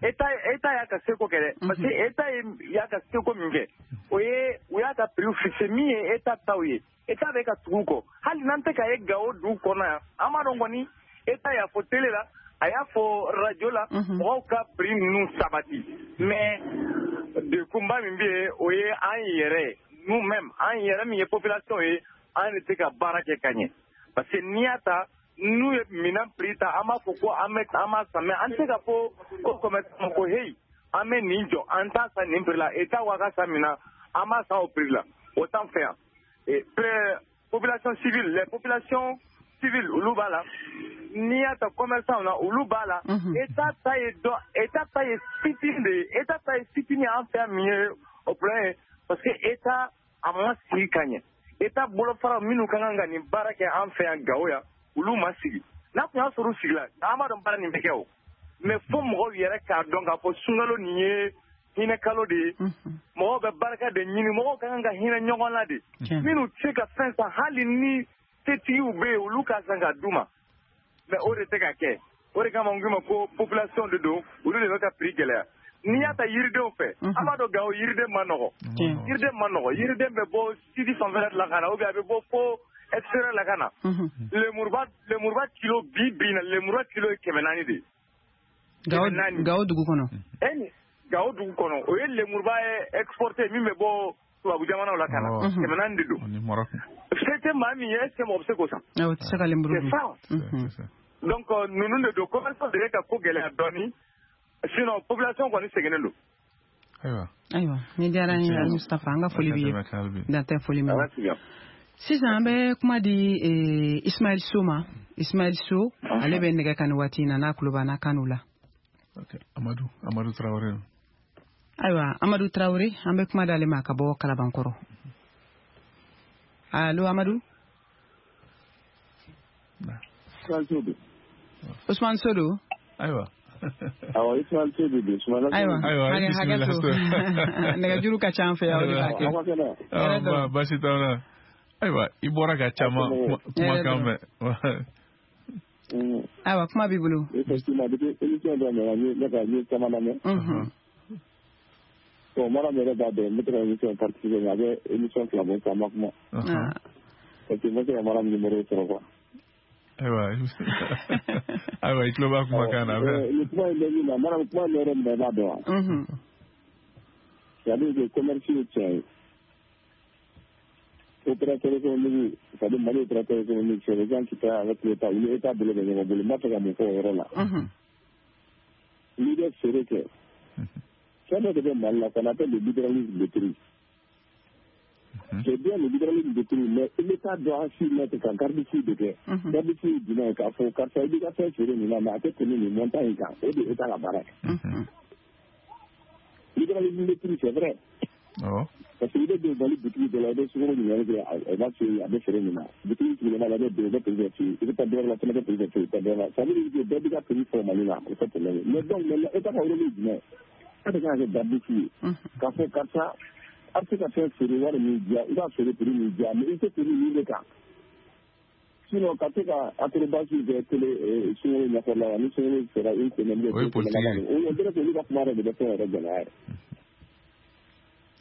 État État y'a ka seko kɛ dɛ, parce que État y'a ka seko min kɛ, o ye u y'a ka prix fixé min ye État taw ye. État bɛ ka tugu u kɔ, hali n'an tɛ ka ye Gawo dugu kɔnɔ yan, an b'a dɔn kɔni État y'a fɔ télé la, a y'a fɔ radio la, mɔgɔw ka prix ninnu sabati. Mais dekunba min bɛ yen, o ye an yɛrɛ ye, nous-mêmes, an yɛrɛ min ye population ye, an de tɛ ka baara kɛ ka ɲɛ. Parce que n'i y'a ta, n'u ye minɛn prix ta, an b'a fɔ ko an bɛ an b'a san, mais an tɛ se ka fɔ ko commerçant ko hey, an bɛ nin jɔ, an t'a san nin prix la, État ko a ka san min na, an b'a san o prix la, o t'an fɛ yan. Et population civile, les populations civiles, olu b'a la. N'i y'a ta commerçant na, olu b'a la. État ta ye dɔ, État ta ye fitinin de ye, État ta ye fitinin an fɛ yan min ye o problème ye, parce que État a ma sigi ka ɲɛ. État bolofara minnu ka kan ka nin baara kɛ an fɛ yan Gawo yan, olu ma sigi. N'a tun y'a sɔrɔ u sigila, an b'a dɔn baara nin bɛ kɛ o. Mais fo mɔgɔw yɛrɛ k'a dɔn k'a fɔ sunkalo nin ye hinɛ kalo de ye, mɔgɔw bɛ barika de ɲini, mɔgɔw ka kan ka hinɛ ɲɔgɔn na de. Minnu tɛ se ka fɛn san, hali ni setigiw bɛ yen, olu ka san ka d'u ma, mais o de tɛ ka kɛ. O de kama n k'i ma ko population de don, olu de bɛ ka prix gɛlɛya. N'i y'a ta yiridenw fɛ, an b'a dɔn Gawo yiriden ma nɔgɔ, yiriden ma nɔgɔ, yiriden bɛ bɔ sidi fanfɛla de la ka na, ou bien a bɛ bɔ fo extérieur la ka na. Lemuruba lemuruba kilo bi bi in na, lemuruba kilo ye kɛmɛ naani de ye. Gawo Gawo dugu kɔnɔ. E Gawo dugu kɔnɔ, o ye lemuruba ye exporté min bɛ bɔ tubabu jamanaw la ka na, kɛmɛ naani de don. Se tɛ maa min ye, est ce que mɔgɔ bɛ se k'o san? O tɛ se ka lemuru dun. C'est ça. Donc ninnu de don, commerçant de bɛ ka ko gɛlɛya dɔɔni. Sinon population kɔni seginnen don. Ayiwa. Ayiwa, ni diyara n ye Mustapha, an ka foli b'i ye. Dan tɛ foli min na. Sisan an bɛ kuma di Ismaël So ma. Ismaël So, ale bɛ nɛgɛ kan nin waati in na, n'a tulo b'an na kan la. Ok, Amadou, Amadou Traoré. Ayiwa, Amadou Traoré, an bɛ kuma d'ale ma ka bɔ Kalabankɔrɔ. Allo Amadou. Ousmane Sodo. Ayiwa. Awɔ, Ismaël So de don. Ayiwa, hakɛ to. Nɛgɛjuru ka ca an fɛ yan, o de b'a kɛ. Baasi t'aw la. Ayiwa, i bɔra ka caman kumakan mɛn. Ayiwa, kuma b'i bolo. Effectivement, depuis émission daminɛna, ne ka n ye caman lamɛn. Bon, Mariam yɛrɛ b'a dɔn, n bɛ to ka émission participer, mais a bɛ émission fila bɔ sisan, an ma kuma. Parce que n bɛ se ka Mariam numéro sɔrɔ quoi. Ayiwa, ayiwa, i tulo b'a kumakan na. Nin kuma in bɛ min na, Mariam, kuma in bɛ yɔrɔ min na, i b'a dɔn wa? C'est-à-dire que commerce ye tiɲɛ ye. Opérateur économique, c'est-à-dire Mali opérateur économique, c'est les gens qui travaillent avec l'État, u ni État bolo bɛ ɲɔgɔn bolo, n b'a fɛ ka mun fɔ o yɔrɔ la. N'i bɛ feere kɛ, fɛn dɔ de bɛ Mali la, qu'on appelle le libéralisme de prix. C'est bien le libéralisme de prix, mais l'État doit s'y mettre ka garde-fou de kɛ. Garde-fou ye jumɛn ye? K'a fɔ karisa i b'i ka fɛn feere nin na, mais a tɛ tɛmɛ nin montant in kan, o de ye État ka baara ye. Libéralisme de prix, c'est vrai. Parce que i bɛ don Mali boutique dɔ la, i bɛ sukaro ɲininkali kɛ, a b'a f'i ye a bɛ feere nin na. Boutique sigilama la, i bɛ don, i bɛ prix bɛɛ f'i ye. I bɛ taa dɔ wɛrɛ la, fana bɛ prix bɛɛ f'i ye, i bɛ taa dɔ wɛrɛ la. Ça veut dire que bɛɛ b'i ka prix fɔ Mali la, o tɛ problème ye. Mais donc maintenant, État ka rôle ye jumɛn ye? E de kan ka kɛ garde-fou ye. K'a fɔ karisa, a bɛ se ka fɛn feere wari min diya, i b'a feere prix min diya, mais i tɛ tɛmɛ nin de kan. Sinon ka se ka acrobatie kɛ télé sunkalo ɲɛfɔla la, ni sunkalo sera une semaine, o ye politique ye. O dirait que olu ka kuma yɛrɛ de bɛ fɛn yɛrɛ gɛlɛya yɛrɛ.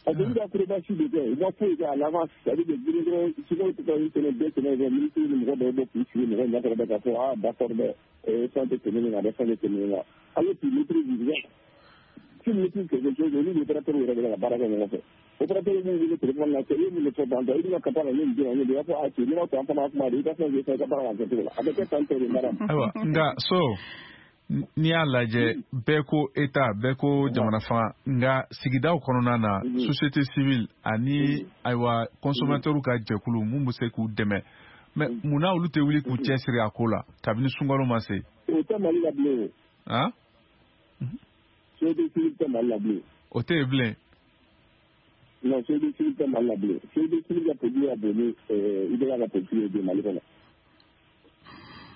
Parce que olu ka acrobatie de kɛ, u ma foyi kɛ à l'avance, c'est-à-dire que dɔrɔn sunkalo tɛ taa une semaine, deux semaines, ministre ni mɔgɔ dɔw bɛ k'u sigi mɔgɔ ɲɛkɔrɔ bɛ k'a fɔ ah d'accord dɛ, fɛn tɛ tɛmɛ nin kan dɛ, fɛn tɛ tɛmɛ nin kan. Alors tu maîtrises rien. Tu maîtrises quelque chose, olu ni opérateur yɛrɛ de bɛ ka baara kɛ ɲɔgɔn fɛ. Opérateur b'u wele téléphone la, cɛ i ye mun de fɔ tantɔ, i bɛna ka taa la ne nin di yan, ne de b'a fɔ a cɛ n'i m'a to an fana kuma de, i ka fɛn fɛn i ka baara ka kɛ cogo la. A bɛ kɛ tan tɔ de madame. Ayiwa, nka so n'i y'a lajɛ, bɛɛ ko État, bɛɛ ko jamana fanga, nka sigidaw kɔnɔna na, société civile ani ayiwa consommateur ka jɛkulu mun bɛ se k'u dɛmɛ, mais munna olu tɛ wuli k'u cɛsiri a ko la kabini sunkalo ma se? O tɛ Mali la bilen o. Han? Société civile tɛ Mali la bilen. O tɛ yen bilen. Non, société civile tɛ Mali la bilen. Société civile ka politique ka bon ni I B K ka politique ye bi Mali kɔnɔ.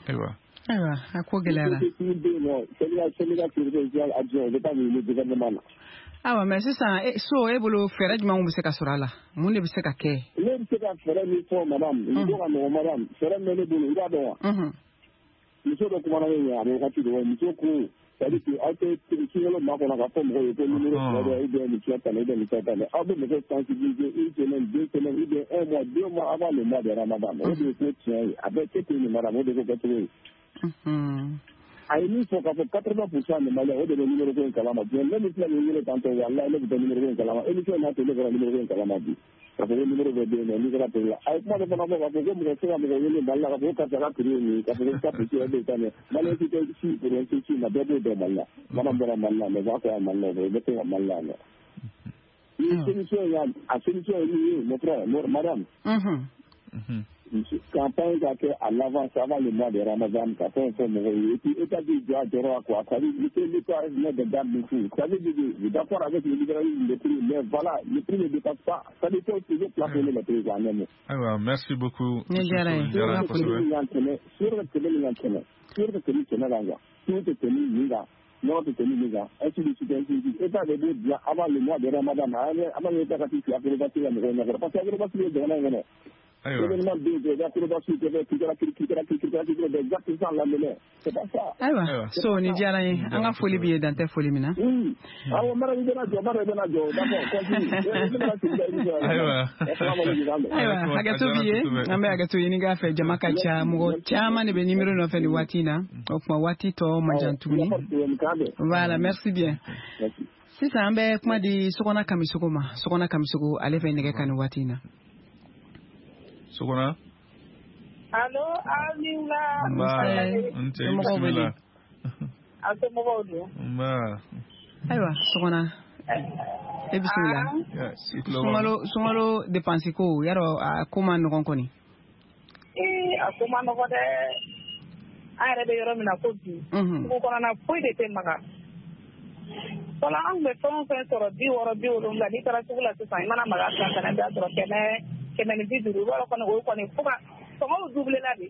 Ayiwa. Ayiwa, a ko gɛlɛyara. Société civile bɛ yen nɔ, syndicat syndicat sécurité sociale adjoint, o bɛ taa nin gouvernement la. Ayiwa, mais sisan so e bolo fɛɛrɛ jumɛnw bɛ se ka sɔrɔ a la? Mun de bɛ se ka kɛ? Ne bɛ se ka fɛɛrɛ min fɔ madame, nin ko ka nɔgɔn madame, fɛɛrɛ min bɛ ne bolo, i b'a dɔn wa? Muso dɔ kumana ne ɲɛ a bɛ wagati dɔ, muso ko c'est-à-dire que aw tɛ sunkalo makɔnɔ k'a fɔ mɔgɔw ye ko numéro fila bɛ ou bien nin fila tan ou bien nin fila tan, aw bɛ mɔgɔw sensibiliser une semaine, deux semaines ou bien un mois, deux mois avant le mois de Ramadan. O de ye ko tiɲɛ ye, a bɛ kɛ ten nin madame, o de ko kɛcogo ye. A ye min fɔ k'a fɔ quatre-vingts pour cent de Maliens, o de bɛ numéro ko in kalama. Diɲɛ ne min filɛ nin wele tantɔ, walahi ne tun tɛ numéro ko in kalama. Émission n'a to ne bɔra numéro ko in kalama bi. K'a fɔ ko numéro bɛ bɛ yen nɔ, n'i kɛra prix la. A ye kuma dɔ fana fɔ k'a fɔ ko mɔgɔ tɛ se ka mɔgɔ wele Mali la k'a fɔ ko karisa ka prix ye nin ye, k'a fɔ ko ka prix ye nin ye. Malien si tɛ si pour si si ma, bɛɛ b'o dɔn Mali la. Mana bɔra Mali la, mais b'a fɔ yan Mali la, o bɛ se ka Mali la yan nɔ. Ni solution y'a a solution ye min ye, mon frère, madame. Campagne ka kɛ à l'avance avant le mois de Ramadan, ka fɛn fɛn mɔgɔw ye, et puis État b'i jɔ a jɔyɔrɔ la quoi, ça veut dire que l'État met des garde-fous, ça veut dire que d'accord avec le libéralisme des prix, mais voilà, le prix ne dépasse pas, ça veut dire toujours plafonner les prix en un mot. Ayiwa, merci beaucoup. Ne diyara ye. Kosɛbɛ. Sukaro ka tɛmɛ nin kan kɛmɛ, sukaro ka tɛmɛ kɛmɛ kan quoi, sukaro tɛ tɛmɛ nin kan, nɔnɔ tɛ tɛmɛ min kan, ainsi de suite, ainsi de suite. État de b'o bila avant le mois de Ramadan, avant l'État ka t'i sigi acrobatie la mɔgɔw ɲɛkɔrɔ, parce que acrobatie bɛ jamana in kɔnɔ. Événement bɛ yen, acrobatie kɛ, kirikara kirikara kirikara kirikara, des actes sans lendemain, c'est pas ça. Ayiwa, so ni diyara n ye, an ka foli b'i ye, dan tɛ foli min na. Oui, awɔ, mara i bɛna jɔ, mara i bɛna jɔ, d'accord, continue. Ayiwa. Ayiwa, hakɛto b'i ye, an bɛ hakɛto ɲini k'a fɛ, jama ka ca, mɔgɔ caman de bɛ numéro nɔfɛ nin waati in na, o tuma waati tɔ man jan tuguni. Voilà, merci bien. Sisan an bɛ kuma di Sokɔnɔ Kamisogo ma. Sokɔnɔ Kamisogo, ale bɛ nɛgɛ kan nin waati in na. Sokɔnɔ. Allo, aw ni wula. Nba, n cɛ, i bisimila. A somɔgɔw dun? Nba. Ayiwa, Sokɔnɔ, e bisimila. Sunkalo sunkalo dépense ko, yarɔ a ko ma nɔgɔn kɔni. Ee, a ko ma nɔgɔn dɛ. An yɛrɛ bɛ yɔrɔ min na ko bi, sugu kɔnɔna foyi de tɛ maga. Fɔlɔ an tun bɛ fɛn o fɛn sɔrɔ bi wɔɔrɔ bi wolonwula, n'i taara sugu la sisan, i mana maga san kana, i b'a sɔrɔ kɛmɛ kɛmɛ ni bi duuru, i b'a dɔn kɔni o kɔni fo ka sɔngɔw doublé la de.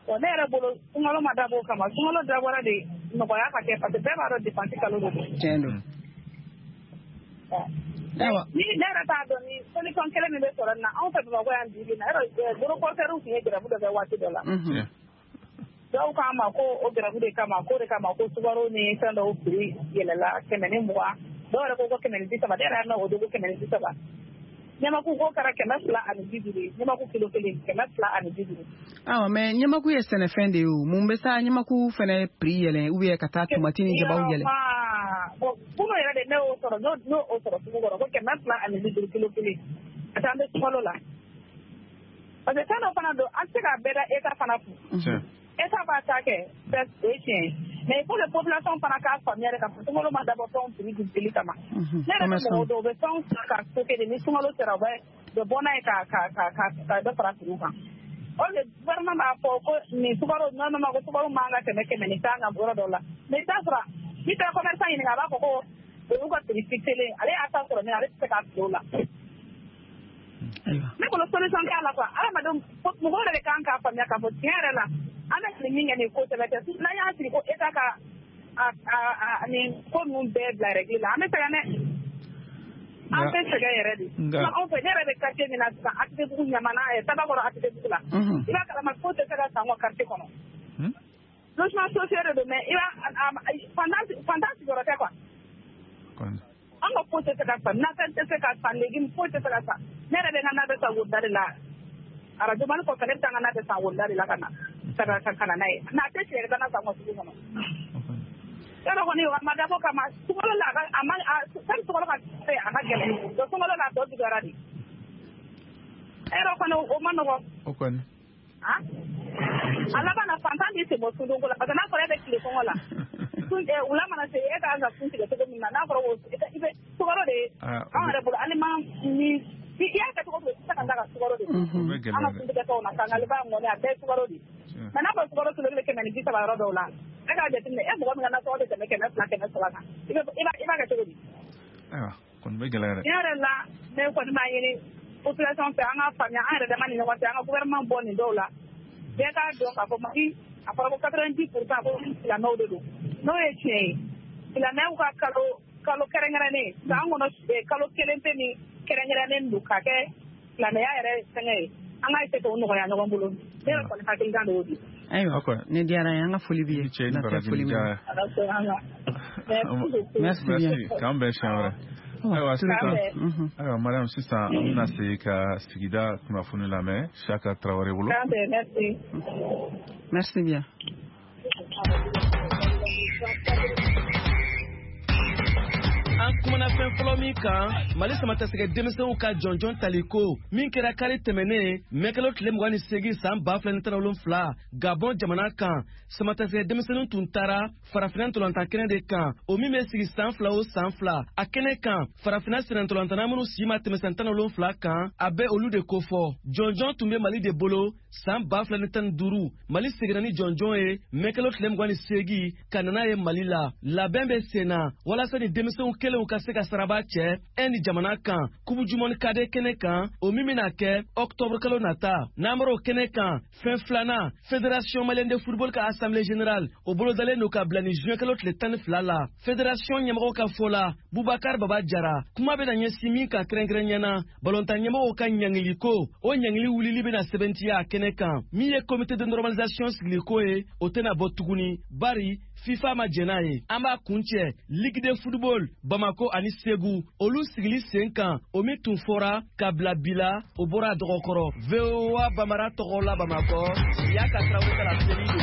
Bon, ne yɛrɛ bolo sunkalo ma dabɔ o kama, sunkalo dabɔra de nɔgɔya ka kɛ, parce que bɛɛ b'a dɔn dépense kalo de don. Tiɲɛ don. Ni ne yɛrɛ t'a dɔn ni solution kelen min bɛ sɔrɔ nin na, anw fɛ Bamakɔ yan bi bi in na, yɔrɔ gros porteurs tun ye grève dɔ kɛ waati dɔ la. Dɔw k'an ma ko o grève de kama, k'o de kama ko sukaro ni fɛn dɔw prix yɛlɛla kɛmɛ ni mugan, dɔw yɛrɛ ko ko kɛmɛ ni bi saba, ne yɛrɛ y'a mɛn o don ko kɛmɛ ni bi saba. Ɲamaku ko kɛra kɛmɛ fila ani bi duuru ye, ɲamaku kilo kelen kɛmɛ fila ani bi duuru. Awɔ, mais ɲamaku ye sɛnɛfɛn de ye o, mun bɛ sa ɲamaku fɛnɛ prix yɛlɛn ou bien ka taa tomati ni jabaw yɛlɛn? Bon, kunun yɛrɛ de ne y'o sɔrɔ, n'o o sɔrɔ sugu kɔrɔ ko kɛmɛ fila ani bi duuru kilo kelen, ka taa an bɛ sunkalo la. Parce que fɛn dɔ fana don, an tɛ se k'a bɛɛ da État fana kun. État b'a ta kɛ, o ye tiɲɛ ye. Mais il faut que population fana k'a faamuya de k'a fɔ sunkalo ma dabɔ fɛnw prix dugutigi kama. Ne yɛrɛ bɛ mɔgɔw dɔn, u bɛ fɛnw san ka stocker de, ni sunkalo sera u bɛ u bɛ bɔ n'a ye ka ka ka ka ka dɔ fara prix kan. O de gouvernement b'a fɔ ko nin sukaro, normalement ko sukaro man ka tɛmɛ kɛmɛ ni tan kan yɔrɔ dɔw la. Mais i bɛ taa sɔrɔ n'i taara commerçant ɲininka, a b'a fɔ ko o y'u ka prix fixé, ale y'a ta sɔrɔ min ale tɛ se k'a fili o la. Ne bolo solution t'a la quoi, adamadenw mɔgɔw yɛrɛ de kan k'a faamuya k'a fɔ tiɲɛ yɛrɛ la, an bɛ nin min kɛ nin ko sɛbɛ tɛ, n'an y'a sigi ko État ka a a nin ko ninnu bɛɛ bila règle la, an bɛ sɛgɛn dɛ. An bɛ sɛgɛn yɛrɛ de. Anw fɛ, ne yɛrɛ bɛ quartier min na sisan, A T T bugu Ɲamana, Tabakɔrɔ A T T bugu la. I b'a kalama ko tɛ se ka san ka quartier kɔnɔ. Logement social de don, mais i b'a fantan fantan sigiyɔrɔ tɛ quoi. An ka foyi tɛ se ka san, nafɛn tɛ se ka san, légume foyi tɛ se ka san. Ne yɛrɛ bɛ n ka na bɛ san woda de la. Arajo mali kɔfɛ, ne bɛ taa n ka na bɛ san woda de la ka na ka na ka na n'a ye. Mais a tɛ si yɛrɛ ka na san ka sugu kɔnɔ. Yɔrɔ kɔni a ma dabɔ kama, sunkalo la a ma a sani sunkalo ka se a ka gɛlɛn, donc sunkalo la a tɔ juguyara de. Yɔrɔ kɔni o ma nɔgɔn. O kɔni. Ah, a laban na fantan b'i sen bɔ sundonko la, parce que n'a fɔra e bɛ tile kɔngɔ la, wula mana se e ka kan ka sun tigɛ cogo min na, n'a fɔra ko i bɛ sukaro de, anw yɛrɛ bolo aliment ni i y'a kɛ cogo o cogo i tɛ se ka taa ka sukaro de. An ka suntigɛtɔw na kangaliba mɔni a bɛɛ ye sukaro de. Mais n'a fɔra sukaro kilo kelen kɛmɛ ni bi saba yɔrɔ dɔw la, e k'a jateminɛ e mɔgɔ min ka nasɔngɔ bɛ tɛmɛ kɛmɛ fila kɛmɛ saba kan, i b'a kɛ cogo di? Ayiwa, kɔni bɛ gɛlɛya dɛ. Tiɲɛ yɛrɛ la, ne kɔni b'a ɲini population fɛ, an ka faamuya an yɛrɛ dama ni ɲɔgɔn cɛ, an ka gouvernement bɔ nin dɔw la. Bɛɛ k'a dɔn k'a fɔ Mali a fɔra ko quatre-vingt-dix pour cent ko silamɛw de don, n'o ye tiɲɛ ye. Silamɛw ka kalo kalo kɛrɛnkɛrɛnnen san kɔnɔ, kalo kelen pe min kɛrɛnkɛrɛnnen don ka kɛ silamɛya yɛrɛ fɛngɛ ye, an ka essayer k'o nɔgɔya ɲɔgɔn bolo. Ne yɛrɛ kɔni hakilina de y'o di. Ayiwa, ne diyara n ye, an ka foli b'i ye. Foli min. Merci bien. K'an bɛn siɲɛ wɛrɛ. Ayiwa sisan, ayiwa Mariam, sisan an bɛna segin ka sigida kunnafoni lamɛn Saka Tarawele bolo. Merci. Merci bien. An kumana fɛn fɔlɔ min kan, Mali samatasɛgɛ denmisɛnw ka jɔnjɔn taliko min kɛra kari tɛmɛnen mɛkalo tile mugan ni seegin san ba fila ni tan ni wolonfila Gabɔn jamana kan, samatasɛgɛ denmisɛnninw tun taara farafinna ntolatan kɛnɛ de kan, o min bɛ sigi san fila o san fila. A kɛnɛ kan, farafinna sennantolatanna minnu si ma tɛmɛ san tan ni wolonfila kan, a bɛ olu de kofɔ. Jɔnjɔn tun bɛ Mali de bolo san ba fila ni tan ni duuru. Mali seginna ni jɔnjɔn ye mɛkalo tile mugan ni seegin ka na n'a ye Mali la. Labɛn bɛ sen na walasa ni denmisɛnw kelen kɛlenw ka se ka saraba cɛ Inde jamana kan Coupe du monde cadet kɛnɛ kan, o min bɛna kɛ octobre kalo nata. N'an bɔra o kɛnɛ kan, fɛn filanan, Fédération malienne de football ka assemblée générale o bolodalen don ka bila ni juin kalo tile tan ni fila la. Fédération ɲɛmɔgɔw ka fɔ la, Bubakar Baba Jara, kuma bɛna ɲɛsin min kan kɛrɛnkɛrɛnnenya na, balontan ɲɛmɔgɔw ka ɲangili ko, o ɲangili wulili bɛna sɛbɛntiya a kɛnɛ kan. Min ye comité de normalisation sigiliko ye, o tɛna bɔ tuguni, bari FIFA ma jɛn n'a ye. An b'a kuncɛ Ligue de football Bamako ani Segu, olu sigili sen kan, o min tun fɔra ka bila bi la, o bɔra a dɔgɔkɔrɔ. V O A Bambara tɔgɔ la Bamakɔ, Yaka Tarawele ka laseli don.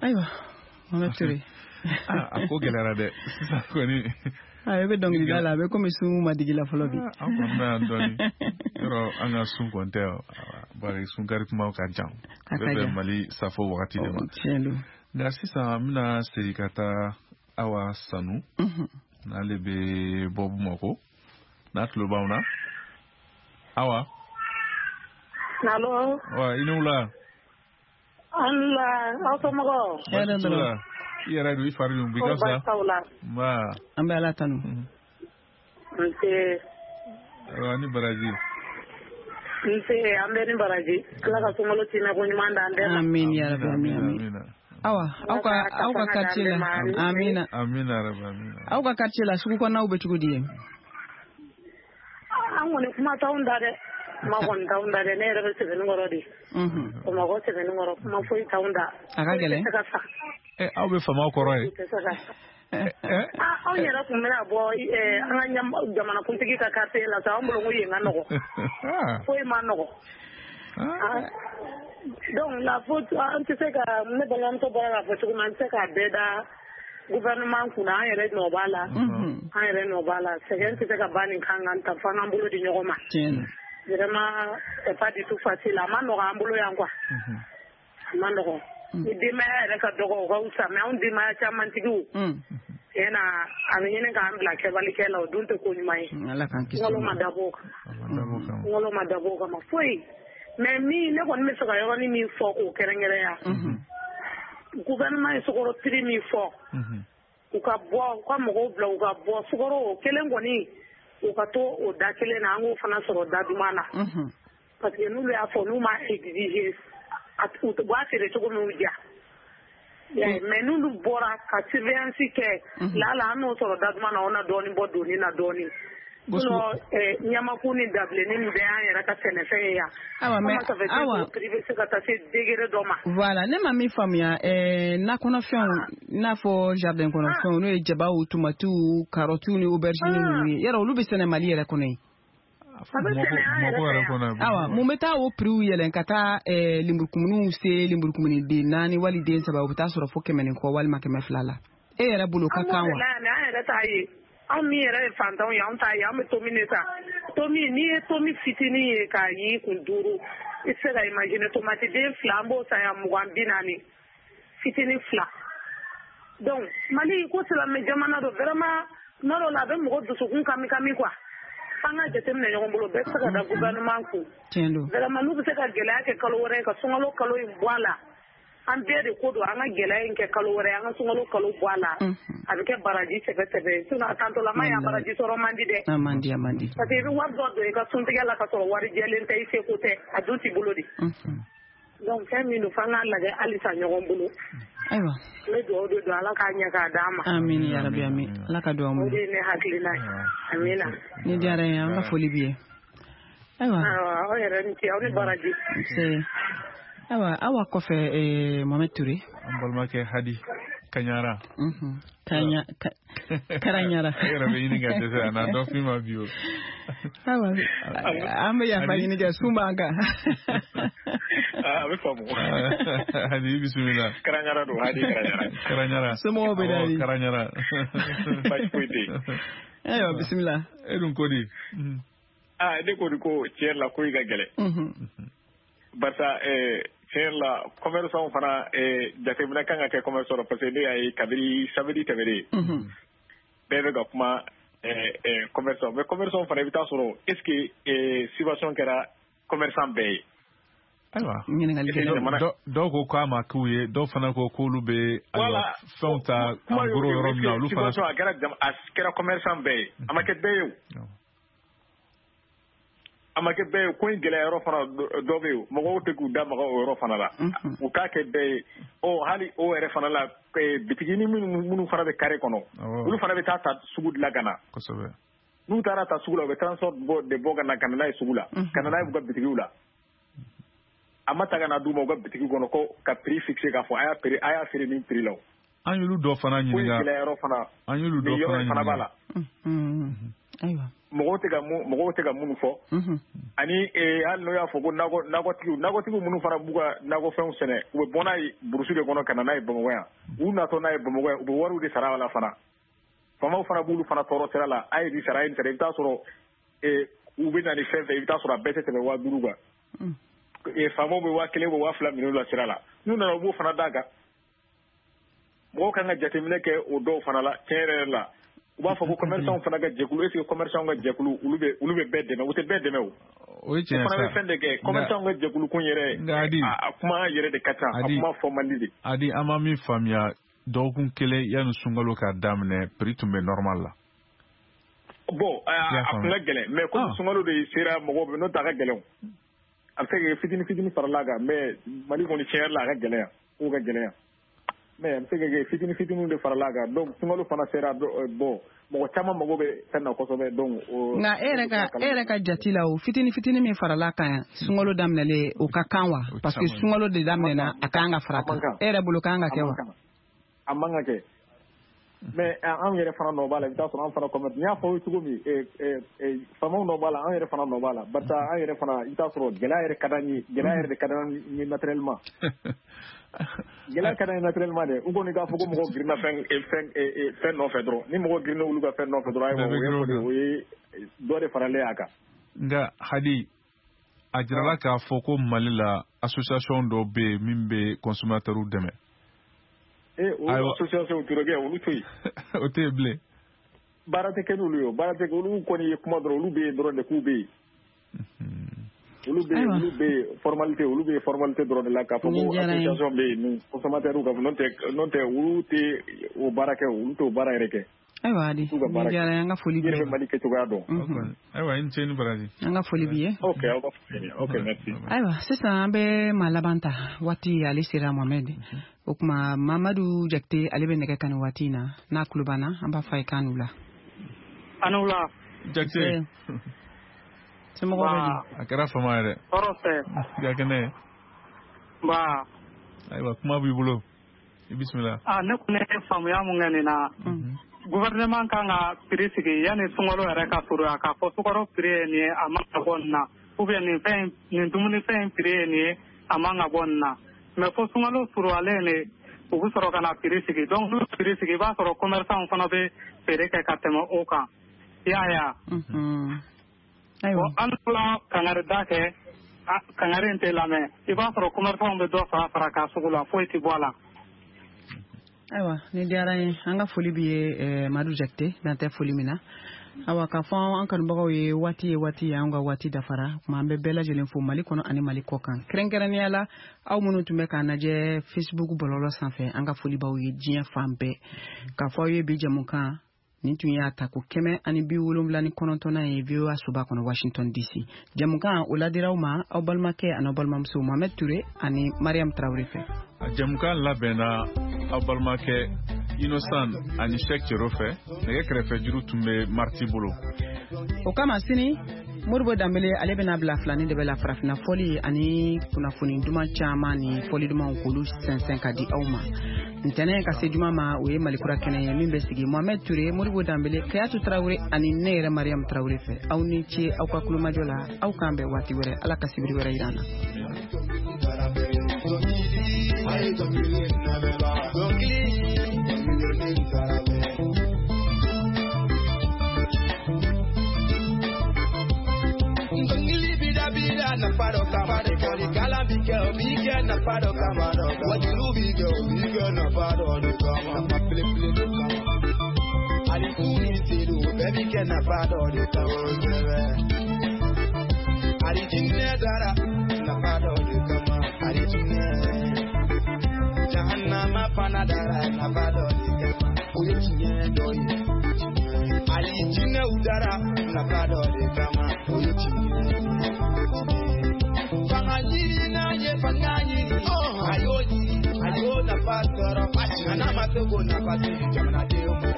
Ayiwa, Mohamed Touré. A ko gɛlɛyara dɛ sisan kɔni. A bɛ dɔnkilida la, a bɛ komi sun ma digi la fɔlɔ bi. An kɔni bɛ yan dɔɔni. Yɔrɔ an ka sun kɔni tɛ, bari sunkari kumaw ka jan. A bɛ bɛn Mali safo wagati de ma. Tiɲɛ don. Nka sisan an bɛna segin ka taa Awa Sanu. N'ale bɛ bɔ Bamakɔ. N'a tulo b'anw na. Awa. Allo. Wa i ni wula. An wula, aw somɔgɔw. Hɛrɛ dɔrɔn. I yɛrɛ don, i fari dun bi ka fisa. Nba. An bɛ Ala tanu. Nse. Ayiwa ni baraji. Nse, an bɛ ni baraji. Ala ka sunkalo timɛ ko ɲuman d'an bɛɛ ma. Amin ya rabi, amin amin. Awa, aw ka aw ka quartier la. Amina. Amina rabi, amina. Aw ka quartier la sugu kɔnɔnaw bɛ cogo di ye? An kɔni kuma t'anw da dɛ. Kuma kɔni t'anw da dɛ, ne yɛrɛ bɛ Sɛbɛnnikɔrɔ de. Bamakɔ Sɛbɛnnikɔrɔ, kuma foyi t'anw da. A ka gɛlɛn. Ɛ aw bɛ faamaw kɔrɔ ye. Anw yɛrɛ tun bɛna bɔ an ka jamanakuntigi ka quartier la sa, an bolo ko yen ka nɔgɔ. Foyi ma nɔgɔ. Donc la faute, an tɛ se ka, ne balimamuso bɔra k'a fɔ cogo min, an tɛ se k'a bɛɛ da gouvernement kunna, an yɛrɛ nɔ b'a la. An yɛrɛ nɔ b'a la. Sɛgɛn tɛ se ka ban nin kan kan ta, f'an k'an bolo di ɲɔgɔn ma. Vraiment, c'est pas du tout facile. A ma nɔgɔ an bolo yan quoi. A ma nɔgɔ. Ni denbaya yɛrɛ ka dɔgɔ, o ka fisa, mais anw denbaya camantigiw, tiɲɛ na, a bɛ ɲini k'an bila kɛbalikɛ la, o dun tɛ ko ɲuman ye. Ala k'an kisi. Sunkalo ma dabɔ o kama. Sunkalo ma dabɔ o kama foyi. Mais min ne kɔni bɛ fɛ ka yɔrɔnin min fɔ k'o kɛrɛnkɛrɛnya, gouvernement ye sukaro prix min fɔ, u ka bɔ, u ka mɔgɔw bila u ka bɔ sukaro o kelen kɔni, u ka to o da kelen na, an k'o fana sɔrɔ da duman na. Parce que n'olu y'a fɔ, n'u ma exiger, u b'a feere cogo min y'u diya. Mais n'olu bɔra ka surveillance kɛ, lala an n'o sɔrɔ da duman na, o na dɔɔnin bɔ doni na dɔɔnin. Sinon ɲamaku ni dabilenni nin bɛɛ y'an yɛrɛ ka sɛnɛfɛn ye yan. Awa, mais awa, prix bɛ se ka taa se degré dɔ ma. Voilà, ne ma min faamuya, ɛɛ nakɔnɔfɛnw, i n'a fɔ jardin kɔnɔfɛnw, n'o ye jabaw, tomatiw, carottes ni aubergines ninnu ye, yɔrɔ olu bɛ sɛnɛ Mali yɛrɛ kɔnɔ yen. Awa, mun bɛ taa o prix yɛlɛn ka taa lenburukumuniw se lenburukumuni den naani wali den saba, u bɛ taa sɔrɔ fo kɛmɛ ni kɔ walima kɛmɛ fila la. E yɛrɛ bolo ka kan wa? An yɛrɛ t'a ye. Anw min yɛrɛ ye fantanw ye, anw t'a ye, an bɛ tomi de san. Tomi, n'i ye tomi fitinin ye k'a y'i kun duuru, i tɛ se ka imaginer tomati den fila, an b'o san yan mugan bi naani, fitinin fila. Donc Mali ko silamɛ jamana don, vraiment tuma dɔw la a bɛ mɔgɔ dusukun kami kami quoi. F'an ka jateminɛ ɲɔgɔn bolo, bɛɛ tɛ se ka da gouvernement kun. Tiɲɛ don. Vraiment n'u bɛ se ka gɛlɛya kɛ kalo wɛrɛ ye, ka sunkalo kalo in bɔ a la. An bɛɛ de ko don, an ka gɛlɛya in kɛ kalo wɛrɛ, an ka sunkalo kalo bɔ a la. A bɛ kɛ baraji sɛbɛ sɛbɛ. Sinon a tantɔlama yan baraji sɔrɔ man di dɛ. A man di, a man di. Parce que i bɛ wari dɔ don i ka suntigɛ la ka sɔrɔ wari jɛlen tɛ, i seko tɛ, a dun t'i bolo de. Donc fɛn min don, f'an k'a lajɛ halisa ɲɔgɔn bolo. Ayiwa. N bɛ dugawu de don, Ala k'a ɲɛ k'a d'an ma. Amin ya rabi, amin. Ala ka dugawu minɛ. O de ye ne hakilina ye. Amina. Ni diyara n ye, an ka foli b'i ye. Ayiwa. Ayiwa, aw yɛrɛ ni ce, aw ni baraji. Nse. Ayiwa, awa kɔfɛ eh, Mohamed Touré. An balimakɛ Hadi Kaɲara. Mhm. Kaɲa Karaɲara. E yɛrɛ bɛ ɲini ka dɛsɛ a na dɔ f'i ma bi o. Ayiwa, an bɛ yafa ɲini kɛ, sun b'an kan. A bɛ faamu. Hadi i bisimila. Karaɲara don, Hadi Karaɲara. Karaɲara. Somɔgɔw bɛ di? Karaɲara. Baasi foyi tɛ yen. Ayiwa, bisimila. E dun ko di? Aa, ne ko ko tiɲɛ yɛrɛ la ko in ka gɛlɛn. Barisa tiɲɛ yɛrɛ la commerçant fana jateminɛ kan ka kɛ commerçant la, parce que ne y'a ye kabini samedi tɛmɛnen bɛɛ bɛ ka kuma commerçant, mais commerçant fana i bɛ taa sɔrɔ est ce que situation kɛra commerçant bɛɛ ye. Ayiwa ɲininkali kɛ. Dɔw ko k'a ma k'u ye, dɔw fana ko k'olu bɛ fɛnw ta en gros yɔrɔ min na, olu fana. A kɛra a kɛra commerçant bɛɛ ye, a ma kɛ bɛɛ ye o. A ma kɛ bɛɛ ye, ko in gɛlɛya yɔrɔ fana dɔ bɛ yen, mɔgɔw tɛ k'u da maga o yɔrɔ fana la. U k'a kɛ bɛɛ ye. Ɔ hali o yɛrɛ fana la, bitigini minnu minnu fana bɛ carré kɔnɔ, olu fana bɛ taa ta sugu de la ka na. Kosɛbɛ. N'u taara ta sugu la, u bɛ transport bɔ de bɔ ka na ka na n'a ye sugu la, ka na n'a ye u ka bitigiw la. A ma ta ka na d'u ma u ka bitigi kɔnɔ ko ka prix fixé k'a fɔ a y'a prix a y'a feere nin prix la. An y'olu dɔ fana ɲininka. Ko in gɛlɛya yɔrɔ fana. An y'olu dɔ fana fana b'a la. Ayiwa. Mɔgɔw tɛ ka mun mɔgɔw tɛ ka minnu fɔ. Ani hali n'o y'a fɔ ko nakɔ nakɔtigiw nakɔtigiw minnu fana b'u ka nakɔfɛnw sɛnɛ, u bɛ bɔ n'a ye burusi de kɔnɔ ka na n'a ye Bamakɔ yan. U natɔ n'a ye Bamakɔ yan, u bɛ wariw de sara a la fana. Faamaw fana b'olu fana tɔɔrɔ sira la, a ye nin sara, a ye nin sara, i bɛ taa sɔrɔ u bɛ na ni fɛn fɛn, i bɛ taa sɔrɔ a bɛɛ tɛ tɛmɛ waa duuru kan. Faamaw bɛ waa kelen waa fila minɛ u la sira la, n'u nana u b'o fana d'a kan. Mɔgɔw kan ka jateminɛ kɛ o dɔw fana la, tiɲɛ yɛrɛ yɛrɛ la. U b'a fɔ ko commerçant fana ka jɛkulu, est ce que commerçant ka jɛkulu olu bɛ olu bɛ bɛɛ dɛmɛ, u tɛ bɛɛ dɛmɛ o. O ye tiɲɛ sa. O fana bɛ fɛn de kɛ, commerçant ka jɛkulu kun yɛrɛ, a kuma yɛrɛ de ka ca, a kuma fɔ man di de. Adi, an ma min faamuya, dɔgɔkun kelen yanni sunkalo ka daminɛ, prix tun bɛ normal la. Bon, a kun ka gɛlɛn, mais comme sunkalo de sera mɔgɔw bɛ, n'o tɛ a ka gɛlɛn o. A bɛ se ka kɛ fitini fitini farala a kan, mais Mali kɔni tiɲɛ yɛrɛ la a ka gɛlɛn yan, kow ka gɛlɛn yan. Mais a bɛ se ka kɛ fitini fitiniw de farala a kan, donc sunkalo fana sera, bon mɔgɔ caman mago bɛ fɛn na kosɛbɛ, donc. Nka e yɛrɛ ka e yɛrɛ ka jate la, o fitini fitini min farala a kan sunkalo daminɛlen, o ka kan wa? Parce que sunkalo de daminɛna, a kan ka fara a kan. E yɛrɛ bolo kan ka kɛ wa? A man ka kɛ. Mais anw yɛrɛ fana nɔ b'a la, i bɛ taa sɔrɔ an fana commerce, n y'a fɔ aw ye cogo min, faamaw nɔ b'a la, an yɛrɛ fana nɔ b'a la, barisa an yɛrɛ fana i bɛ taa sɔrɔ gɛlɛya yɛrɛ ka d'an ye, gɛlɛya yɛrɛ de ka d'an ye naturellement. Gɛlɛya ka d'an ye naturellement dɛ, u kɔni k'a fɔ ko mɔgɔw girinna fɛn fɛn fɛn nɔfɛ dɔrɔn, ni mɔgɔ girinna olu ka fɛn nɔfɛ dɔrɔn, ayiwa o ye dɔ de faralen a kan. Nka Hadi, a jirala k'a fɔ ko Mali la association dɔ bɛ yen min bɛ consommateurs dɛmɛ. Eh, o association turokɛ olu to yen. O tɛ yen bilen. Baara tɛ kɛ n'olu ye, baara tɛ kɛ, olu kɔni ye kuma dɔrɔn, olu bɛ yen dɔrɔn de k'u bɛ yen. Olu bɛ yen, olu bɛ yen formalité, olu bɛ yen formalité dɔrɔn de la k'a fɔ ko association bɛ yen ni consommateurs ka fɔ, n'o tɛ n'o tɛ olu tɛ o baara kɛ, olu t'o baara yɛrɛ kɛ. Ayiwa Adi, nin diyara n ye, an ka foli b'i ye. I yɛrɛ bɛ Mali kɛcogoya dɔn. Ayiwa, i ni ce ni baraji. An ka foli b'i ye. Ok, aw ka foli. Ok, merci. Ayiwa, sisan an bɛ maa laban ta, waati ale sera Mohamed. O tuma Mamadu Jakite ale bɛ nɛgɛ kan nin waati in na, n'a tulo b'an na, an b'a fɔ a ye k'an n'u la. A n'u la. Jakite. Somɔgɔw bɛ di? A kɛra fama ye dɛ. Tɔɔrɔ tɛ. I ka kɛnɛ. Nba. Ayiwa, kuma b'i bolo. I bisimila. Ah, ne kɔni ye faamuya mun kɛ nin na. Gouvernement kan ka prix sigi yanni sunkalo yɛrɛ ka surunya, k'a fɔ sukaro prix ye nin ye, a man ka bɔ nin na, ou bien nin fɛn nin dumunifɛn in prix ye nin ye, a man ka bɔ nin na. Mais fo sunkalo surunyalen de u bɛ sɔrɔ ka na prix sigi. Donc n'u ye prix sigi, i b'a sɔrɔ commerçant fana bɛ feere kɛ ka tɛmɛ o kan. I y'a ye wa? Bon, an fila kangari da kɛ, kangari in tɛ lamɛn. I b'a sɔrɔ commerçant bɛ dɔ fara fara kan sugu la, foyi tɛ bɔ a la. Ayiwa, ni diyara n ye, an ka foli b'i ye Madu Jakite, dan tɛ foli min na. Awa, k'a fɔ an kanubagaw ye, waati ye waati ye, an ka waati dafara. Kuma an bɛ bɛɛ lajɛlen fo Mali kɔnɔ ani Mali kɔ kan, kɛrɛnkɛrɛnnenya la aw minnu tun bɛ k'an lajɛ Facebook bɔlɔlɔ sanfɛ, an ka foli b'aw ye diɲɛ fan bɛɛ. K'a fɔ aw ye bi jɛmukan nin tun y'a ta ko kɛmɛ ani bi wolonwula ni kɔnɔntɔnnan ye V O A soba kɔnɔ Washington D C. Jɛmukan o ladira aw ma aw balimakɛ ani aw balimamuso Mohamed Touré ani Mariam Traoré fɛ. A jɛmukan labɛnna aw balimakɛ Innocent ani Cheikh Cero fɛ, nɛgɛ kɛrɛfɛ juru tun bɛ Marti bolo. O kama sini Modibo Danbele ale bɛna bila filani de bɛ la farafinna fɔli ani kunnafoni duman caman ni fɔli dumanw k'olu sɛnsɛn ka di aw ma. Ntɛnɛn ka se juma ma, o ye Malikura kɛnɛ ye min bɛ sigi Mohamed Touré, Modibo Danbele, Kayatu Traoré ani ne yɛrɛ Mariam Traoré fɛ. Aw ni ce aw ka kulomajɔ la, aw k'an bɛn waati wɛrɛ, Ala ka sibiri wɛrɛ yira an na. Nafa dɔ kama lekɔlikala bi kɛ o b'i kɛ nafa dɔ kama wajulu bi kɛ o b'i kɛ nafa dɔ de kama nafa belebele de kama hali su ni seliw bɛɛ bi kɛ nafa dɔ de kama hali jinɛ dara nafa dɔ de kama. fana dara nafa dɔ de kama o ye tiɲɛ dɔ ye. Ali jinɛw dara nafa dɔ de kama o ye tiɲɛ. Fanga ɲini n'a ye fanga ɲini, a y'o ɲini a y'o nafa sɔrɔ, nka n'a ma se k'o nafa se jamanadenw ma,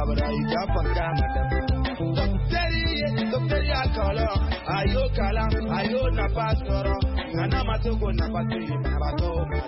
abada i ka fanga ma dafa. Dɔkitɛri ye dɔkitɛri y'a kalan, a y'o kalan a y'o nafa sɔrɔ, nka n'a ma se k'o nafa se banabaatɔw ma.